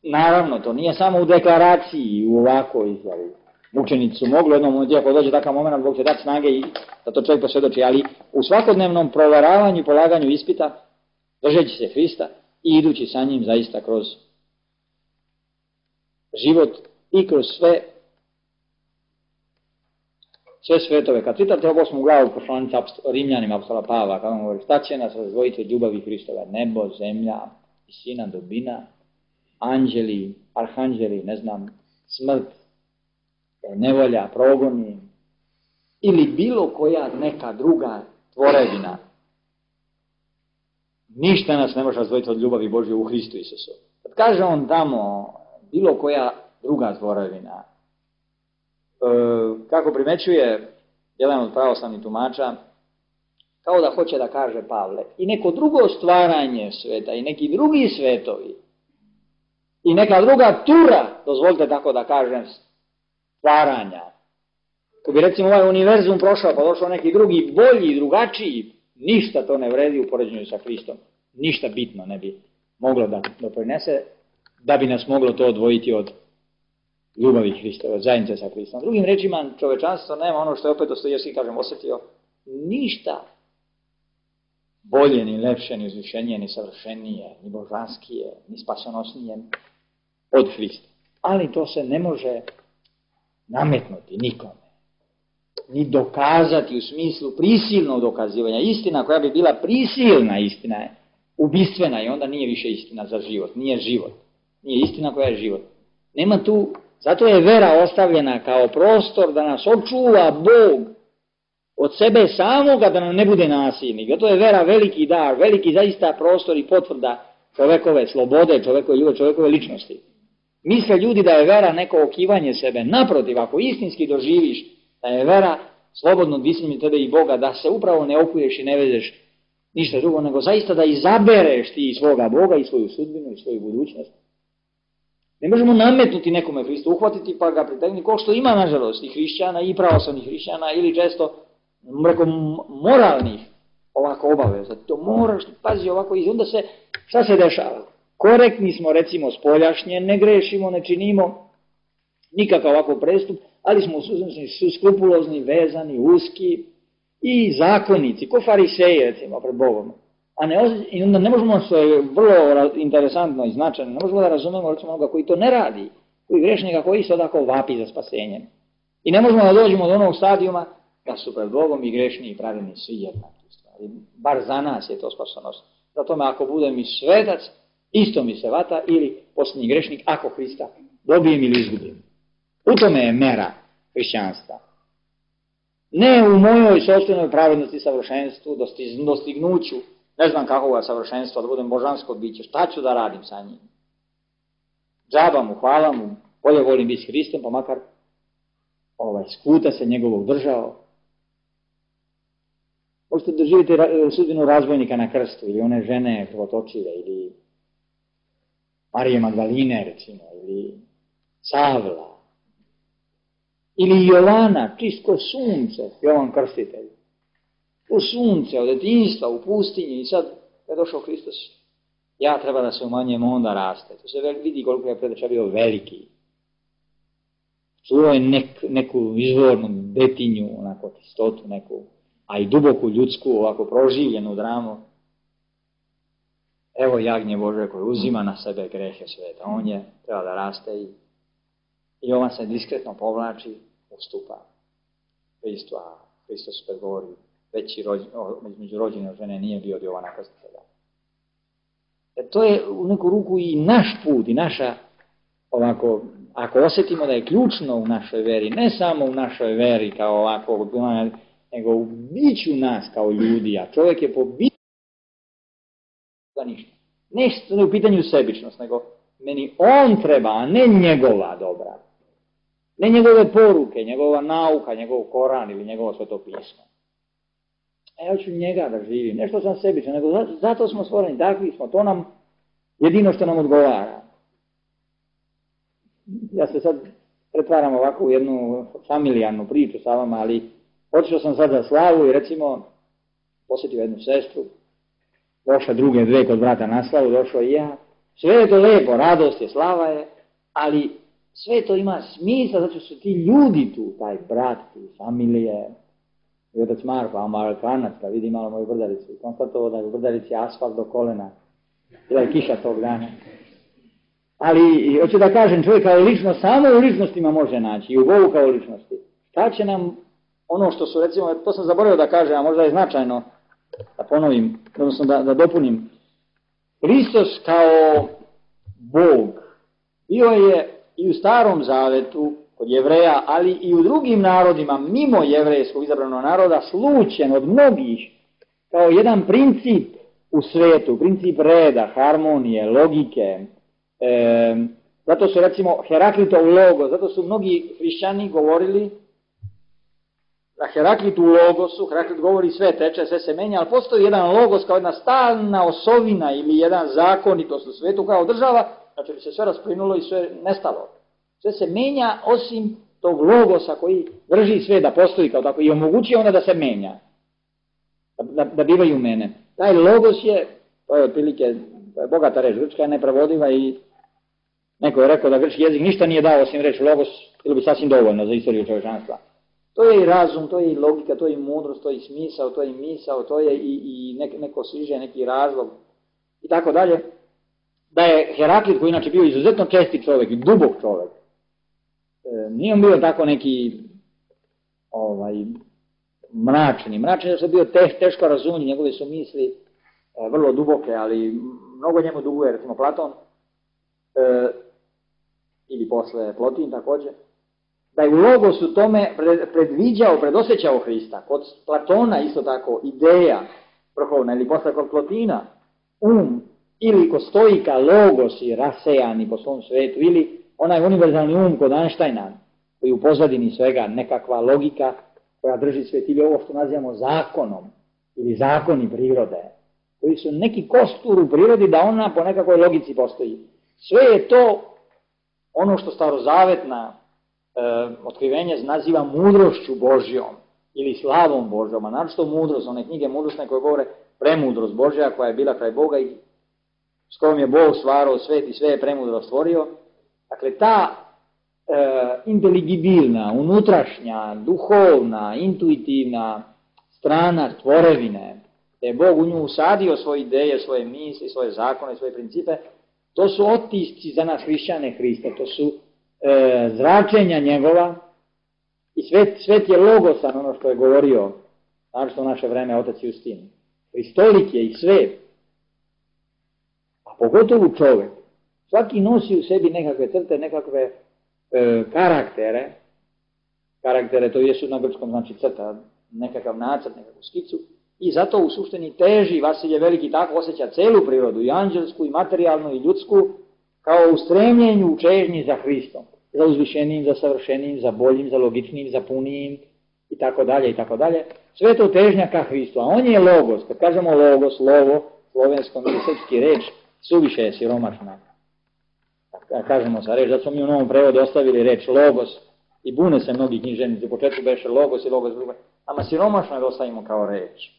Naravno, to nije samo u deklaraciji, u ovakvoj izjavi. Mučenici su mogli, jednom momentu, ako dođe takav moment, Bog će dati snage i da to čovjek posvjedoči, ali u svakodnevnom proveravanju i polaganju ispita, držeći se Hrista i idući sa njim zaista kroz život i kroz sve svetove. Kad čitate ovo 8. glavu poslanice Rimljanima apostola Pavla, kada on govori, šta će nas razdvojiti od ljubavi Hristove? Nebo, zemlja, visina, dubina, anđeli, arhanđeli, ne znam, smrt, nevolja, progoni, ili bilo koja neka druga tvorevina, ništa nas ne može razdvojiti od ljubavi Božje u Hristu Isusu. Kad kaže on tamo, bilo koja druga tvorevina, kako primećuje jedan od pravoslavnih tumača, kao da hoće da kaže Pavle, i neko drugo stvaranje sveta, i neki drugi svetovi, i neka druga tura, dozvolite tako da kažem, stvaranja. Ko bi recimo ovaj univerzum prošao, pa došao neki drugi, bolji, drugačiji, ništa to ne vredi u poređenju sa Hristom. Ništa bitno ne bi moglo da doprinese, da bi nas moglo to odvojiti od ljubavi Hristove, od zajednice sa Hristom. Drugim rečima, čovečanstvo nema ono što je opet Dostojevski, kažem, osjetio, ništa bolje, ni lepše, ni uzvišenije, ni savršenije, ni božanskije, ni spasonosnije od Hrista. Ali to se ne može nametnuti nikome, ni dokazati u smislu prisilnog dokazivanja. Istina koja bi bila prisilna istina je ubistvena i onda nije više istina za život, nije život, nije istina koja je život. Nema tu, zato je vera ostavljena kao prostor da nas očuva Bog od sebe samoga, da nam ne bude nasilnik. Zato je vera veliki dar, veliki zaista prostor i potvrda čovekove slobode, čovekove ljubavi, čovekove ličnosti. Misle ljudi da je vera neko okivanje sebe. Naprotiv, ako istinski doživiš da je vera slobodno disanje tebe i Boga, da se upravo ne okuješ i ne vezeš ništa drugo, nego zaista da izabereš ti svoga Boga i svoju sudbinu i svoju budućnost. Ne možemo nametnuti nekome Hristu, uhvatiti pa ga pritegnuti, kao što ima nažalost i hrišćana i pravoslavnih hrišćana ili često moralnih ovako obaveza. To moraš, pazi ovako, i onda se, šta se dešava? Korektni smo recimo spoljašnje, ne grešimo, ne činimo nikakav ovako prestup, ali smo skrupulozni, vezani, uski i zakonici, ko fariseji recimo pred Bogom. I onda ne možemo, što je vrlo interesantno i značajno, ne možemo da razumemo recimo onoga koji to ne radi, koji grešnika koji se odako vapi za spasenjem. I ne možemo da dođemo do onog stadijuma da su pred Bogom i grešni i pravilni svi jednaki. Bar za nas je to spasonost. Zato ako budem i svetac, isto mi se vata, ili posljednji grešnik, ako Hrista dobijem ili izgubim. U tome je mera hrišćanstva. Ne u mojoj sopstvenoj pravednosti, savršenstvu, dostignuću, ne znam kakvoga savršenstva, da budem božansko biće, šta ću da radim sa njim? Džaba mu, hvala mu, bolje volim biti s Hristom, pa makar skuta se njegovog držao. Možete doživjeti sudbinu razbojnika na krstu, ili one žene krvotočive, ili Marije Magdaline, recimo, ili Savla, ili Jovana, čist ko sunce, Jovan Krstitelj. U sunce, od detinjstva, u pustinji, i sad je došao Hristos, ja treba da se umanjujem, onda raste. To se vidi koliko je predača bio veliki. Čuo je neku izvornu detinju, onako čistotu neku, a i duboku ljudsku, ovako proživljenu dramu. Evo jagnje Bože koje uzima na sebe grehe sveta. On je treba da raste i on se diskretno povlači, ustupa Hristu, a Hristos predgovori veći među rođene žene nije bio od Jovana Krstitelja. To je u neku ruku i naš put i naša, ovako, ako osjetimo da je ključno u našoj veri, ne samo u našoj veri kao ovako, nego u biću nas kao ljudi, a čovjek je po biću da ništa. Ne u pitanju sebičnost, nego meni on treba, a ne njegova dobra. Ne njegove poruke, njegova nauka, njegov Koran ili njegovo sveto pismo. Ja ću njega da živim, ne što sam sebičan, nego zato smo stvoreni, takvi smo, to nam jedino što nam odgovara. Ja se sad pretvaram ovako u jednu familijarnu priču sa vama, ali otišao sam sad za slavu i recimo posjetio jednu sestru, došla druge dve kod brata na slavu, došao i ja. Sve je to lepo, radost je, slava je, ali sve to ima smisla, zato su ti ljudi tu, taj brat, ti familije, i otac Marko, Amerikanac, da vidi malo moju brdaricu, i konstatovao da je u brdarici asfalt do kolena, bila je kiša tog dana. Ali, hoću da kažem, čovjek kao ličnost, samo u ličnostima može naći, i u Bogu kao ličnosti. Šta će nam ono što su, recimo, to sam zaboravio da kažem, a možda je značajno da ponovim, odnosno da dopunim. Hristos kao Bog bio je i u Starom Zavetu kod Jevreja, ali i u drugim narodima, mimo jevrejskog izabranog naroda, slučen od mnogih kao jedan princip u svetu, princip reda, harmonije, logike. Zato su, recimo, Heraklitov logos, zato su mnogi hrišćani govorili da Heraklit u logosu, Heraklit govori sve teče, sve se menja, ali postoji jedan logos kao jedna stalna osovina ili jedan zakonitost u svetu kao država, znači bi se sve rasplinulo i sve nestalo. Sve se menja osim tog logosa koji drži sve da postoji kao tako i omogućuje onda da se menja, da bivaju mene. Taj logos je, to je otprilike bogata reč, grčka je neprevodiva i neko je rekao da grčki jezik ništa nije dao osim reč logos, bilo bi sasvim dovoljno za istoriju čovječanstva. To je i razum, to je i logika, to je i mudrost, to je i smisao, to je i misao, to je i neko sviđa, neki razlog i tako dalje. Da je Heraklit, koji inače bio izuzetno česti čovjek i dubok čovjek, nije on bio tako neki mračni, jer je bio teško razumljiv, njegove su misli vrlo duboke, ali mnogo njemu duguje, recimo Platon, ili posle Plotin također, da je u logosu tome predviđao, predosjećao Hrista. Kod Platona isto tako ideja vrhovna, ili posle kod Plotina ili kod stoika logosi rasejani po svom svetu, ili onaj univerzalni kod Einsteina, koji u pozadini svega nekakva logika koja drži svet, ili ovo što nazivamo zakonom, ili zakoni prirode, koji su neki kostur u prirodi da ona po nekakvoj logici postoji. Sve je to ono što starozavetna otkrivenje naziva mudrošću Božjom ili slavom Božjom, a naročito mudrost, one knjige mudrostne koje govore premudrost Božja koja je bila kraj Boga i s kojom je Bog stvarao svet i sve je premudro stvorio. Dakle, ta inteligibilna, unutrašnja, duhovna, intuitivna strana tvorevine, da je Bog u nju usadio svoje ideje, svoje misli, svoje zakone, svoje principe, to su otisci za nas hrišćane Hrista, to su zračenja njegova i svet je logosan, ono što je govorio, naročito u naše vreme otac Justin. Hristolik je i svet, a pogotovo čovjek. Svaki nosi u sebi nekakve crte, nekakve karaktere, to jesu na grčkom znači crta, nekakav nacrt, nekakvu skicu, i zato u suštini teži, Vasilije Veliki tako osjeća celu prirodu, i anđelsku, i materijalnu, i ljudsku, kao u stremljenju, u čežnji za Hristom, za uzvišenijim, za savršenijim, za boljim, za logičnijim, za punijim, i tako dalje, i tako dalje. Sve to težnja ka Hristu, a on je logos. Kad kažemo logos, lovo, slovenskom ili srpski reč, suviše je siromašna. Kažemo sa reč, zato smo mi u novom prevodu ostavili reč logos i bune se mnogi književnici, u početku beše logos i logos drugo, ama siromašno je da ostavimo kao reč.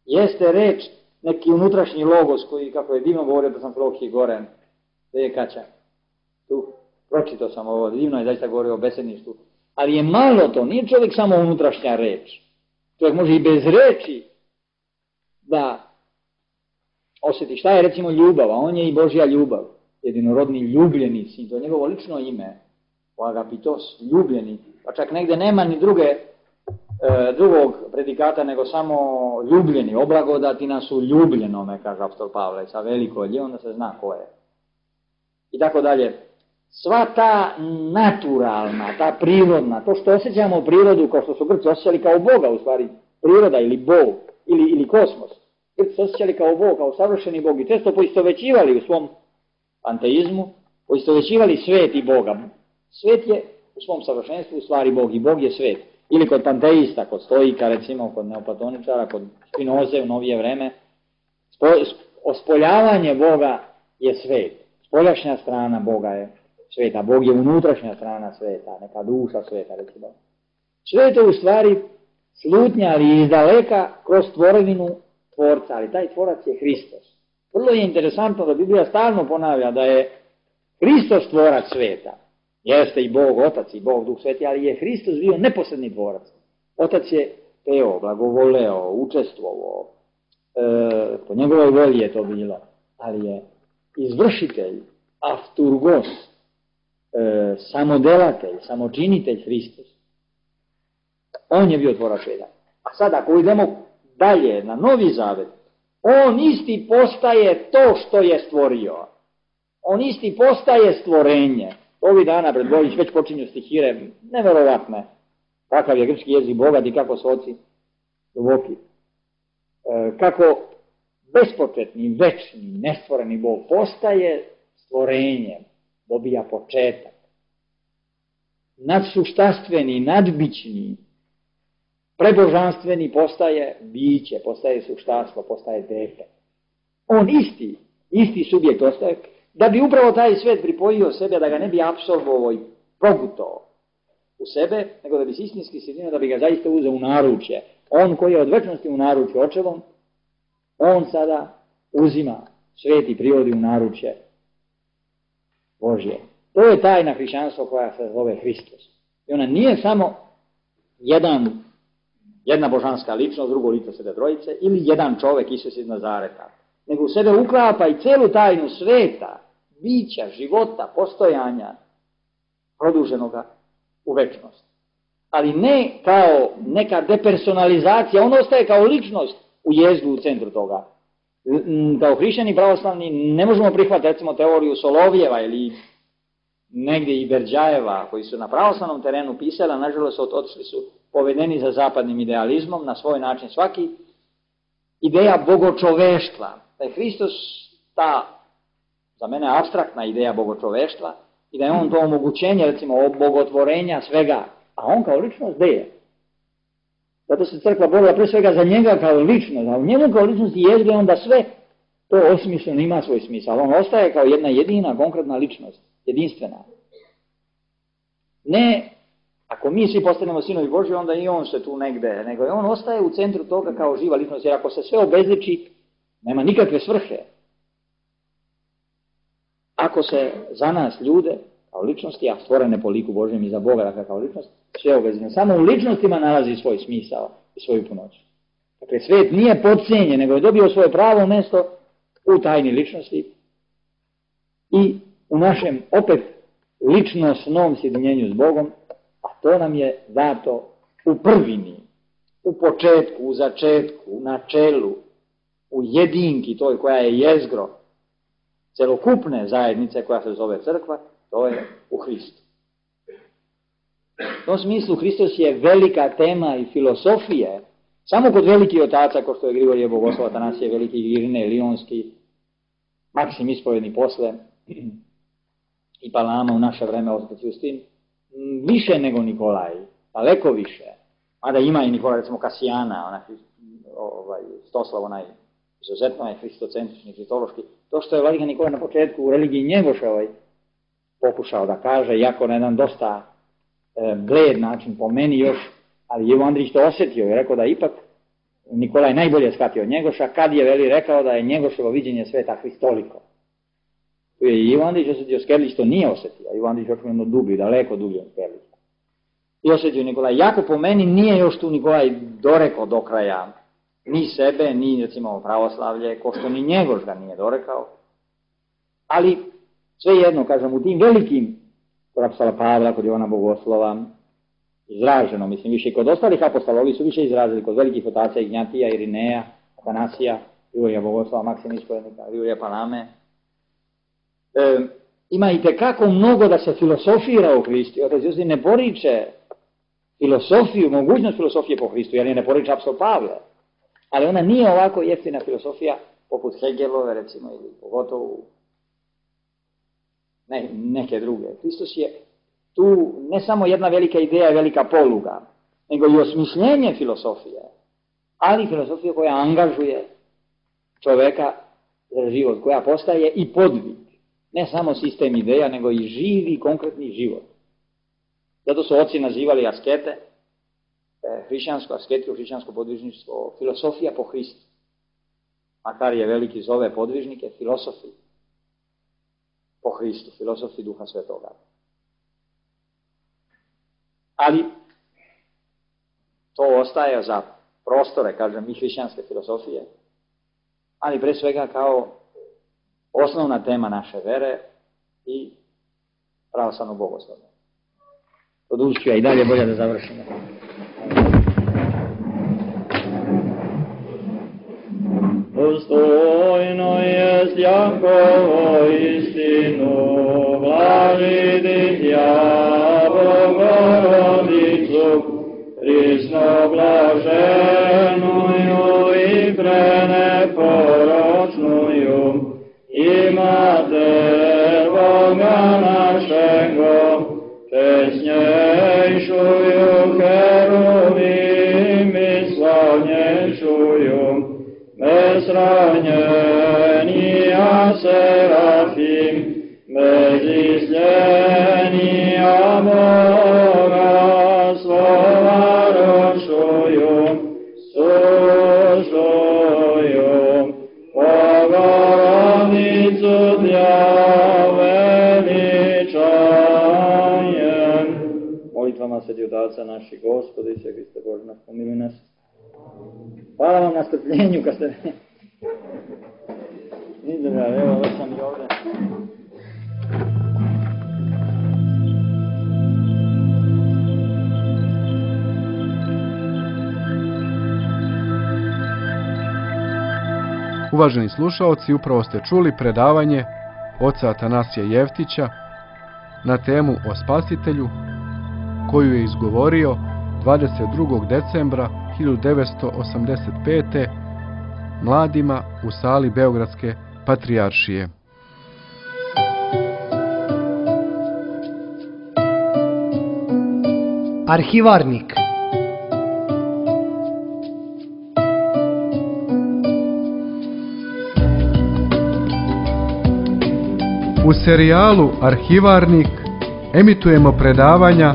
Jeste reč neki unutrašnji logos koji, kako je divno govorio da sam Prohije Goren, gdje je Kaća, tu, pročitao sam ovo, divno je zaista govorio o besedništvu, ali je malo to, nije čovjek samo unutrašnja reč. Čovjek može i bez reči da osjeti šta je recimo ljubav, a on je i Božja ljubav, jedinorodni ljubljeni sin, to je njegovo lično ime, o agapitos, ljubljeni, pa čak negde nema ni drugog predikata nego samo ljubljeni, oblagodati nas u ljubljenome, kaže apostol Pavle, sa veliko lje, onda se zna ko je. I tako dalje. Sva ta naturalna, ta prirodna, to što osjećamo prirodu kao što su Grci osjećali kao Boga, u stvari priroda ili Bog, ili kosmos. Grci osjećali kao Bog, kao savršeni Bog i često poistovećivali u svom panteizmu, poistovećivali svet i Boga. Svet je u svom savršenstvu u stvari Bog i Bog je svet. Ili kod panteista, kod stoika, recimo kod neoplatoničara, kod Spinoze u novije vreme, ospoljavanje Boga je svet. Spoljašnja strana Boga je sveta, Bog je unutrašnja strana sveta, neka duša sveta, recimo. Sve je to u stvari slutnja, ali iz daleka kroz tvorevinu tvorca, ali taj tvorac je Hristos. Vrlo je interesantno da Biblija stalno ponavlja da je Hristos tvorac sveta. Jeste i Bog Otac i Bog Duh Sveti, ali je Hristos bio neposredni tvorac. Otac je teo, blagovoleo, učestvovao, po njegovoj volji je to bilo, ali je izvršitelj, afturgos, samodelatelj, samočinitelj Hristos. On je bio tvorac sveta. A sad ako idemo dalje na Novi Zavet, on isti postaje to što je stvorio. On isti postaje stvorenje. Ovih dana pred Božić već počinju stihire, neverovatne. Kakav je grčki jezik bogat i kako su oci duboki. Kako bespočetni, večni, nestvoreni Bog postaje stvorenje, dobija početak. Nadsuštastveni, nadbićni, prebožanstveni postaje biće, postaje suštanstvo, postaje dete. On isti subjekt ostaje, da bi upravo taj svet pripojio sebe, da ga ne bi apsolvovao i progutao u sebe, nego da bi se istinski sjedinio, da bi ga zaista uzeo u naručje. On koji je od večnosti u naručju očevom, on sada uzima svet i privodi u naručje Božje. To je tajna hrišćanstva koja se zove Hristos. I ona nije samo jedna božanska ličnost, drugo lice Svete Trojice, ili jedan čovjek, Isus iz Nazareta, nego u sebe uklapa i celu tajnu sveta, bića, života, postojanja, produženoga u večnost. Ali ne kao neka depersonalizacija, on ostaje kao ličnost u jezdu u centru toga. Kao hrišćani pravoslavni ne možemo prihvatiti recimo teoriju Solovjeva ili negdje i Berđajeva, koji su na pravoslavnom terenu pisali, a nažalost otišli su povedeni za zapadnim idealizmom na svoj način. Svaki ideja bogočoveštva, da je Hristos ta, za mene, apstraktna ideja bogočoveštva i da je on to omogućenje, recimo, bogotvorenja svega, a on kao ličnost gdje je? Zato se crkva borila pre svega za njega kao ličnost, a u njemu kao ličnosti jezgre onda sve to osmišljeno ima svoj smisao. On ostaje kao jedna jedina konkretna ličnost, jedinstvena. Ne, ako mi svi postanemo sinovi Božji, onda i on se tu negde, nego on ostaje u centru toga kao živa ličnost, jer ako se sve obezliči, nema nikakve svrhe. Ako se za nas ljude, kao ličnosti, a stvorene po liku Božjem i za Boga, dakle kao ličnost, sve obezličeno. Samo u ličnostima nalazi svoj smisao i svoju punoć. Dakle, svet nije podcijenjen, nego je dobio svoje pravo mjesto u tajni ličnosti i u našem opet ličnosnom sjedinjenju s Bogom, a to nam je dato u prvini, u početku, u začetku, u načelu, u jedinki toj koja je jezgro celokupne zajednice koja se zove crkva, to je u Hristu. U tom smislu Hristos je velika tema i filosofije. Samo kod velikih otaca, kao što je Grigorije Bogoslov, Atanasije Veliki, Irine, Lionski, Maksim Ispovedni posle i Palama u naše vreme, Ospec Justin, više nego Nikolaj, daleko više. Mada ima i Nikolaj, recimo Kasijana, Stoslav, onaj izuzetno je hristocentrični, hristološki. To što je Vladika Nikolaj na početku u religiji Njegoševoj pokušao da kaže, iako na jedan dosta bled način po meni još, ali Ivo Andrić to osjetio i rekao da ipak Nikolaj najbolje shvatio od Njegoša, kad je veli rekao da je Njegoševo viđenje sveta hristoliko. Tu je Ivo Andrić osjetio, Skerlić to nije osjetio, Ivo Andrić očigledno dublji, daleko dublji od Skerlića. I osjetio Nikolaj, jako po meni nije još tu Nikolaj dorekao do kraja ni sebe, ni recimo pravoslavlje, ko što ni Njegoš ga nije dorekao, ali svejedno, kažem, u tim velikim, kod apostola Pavla, kod Jovana Bogoslova, izraženo, mislim, više i kod ostalih apostola, ovi su više izrazili kod velikih otaca Ignjatija, Irineja, Atanasija, Grigorija Bogoslova, Maksima Ispovednika, Grigorija Palame. Ima i tekako mnogo da se filosofira u Hristu. Otac Justin ne poriče filosofiju, mogućnost filosofije po Hristu, jer je ne poriče apostol Pavle. Ali ona nije ovako jeftina filosofija poput Hegelove, recimo, ili pogotovo neke druge. Hristos je tu ne samo jedna velika ideja i velika poluga, nego i osmišljenje filosofije, ali filosofija koja angažuje čoveka za život, koja postaje i podvig. Ne samo sistem ideja, nego i živi, konkretni život. Zato su oci nazivali askete, hrišćansko asketiju, hrišćansko podvižništvo, filosofija po Hristu. Makar je veliki zove podvižnike filosofi po Hristu, filosofi Duha Svetoga. Ali to ostaje za prostore, kažem, i hrišćanske filosofije, ali pre svega kao osnovna tema naše vere i pravoslavno bogoslovlje. Poduću ja i dalje, bolje da završimo. Dostojno jest Jakovo istinu, blažiti ja Bogorodicu, prisno blaženuju i preneporočnuju, i mater Boga našego, česnjejšuju heruvimi, slavnjejšuju, bezranjenija serafim, bezizljenija Boga slova rošuju, sušuju, Bogorodicu tja veličajem. Molitvama Svetih Otaca naših Gospoda i sve Hriste Bože nas pomiluj nas. Hvala vam na strpljenju kad ste izdržali, evo već sam i ovdje. Uvaženi slušaoci, upravo ste čuli predavanje oca Atanasija Jeftića na temu o Spasitelju, koju je izgovorio 22. decembra 1985. mladima u sali Beogradske patrijaršije. Arhivarnik. U serijalu Arhivarnik emitujemo predavanja,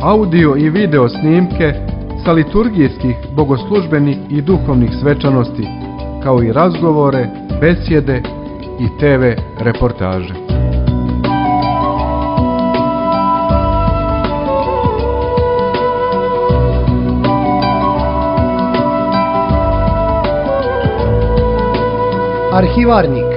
audio i video snimke sa liturgijskih, bogoslužbenih i duhovnih svečanosti, kao i razgovore, besjede i TV reportaže. Arhivarnik.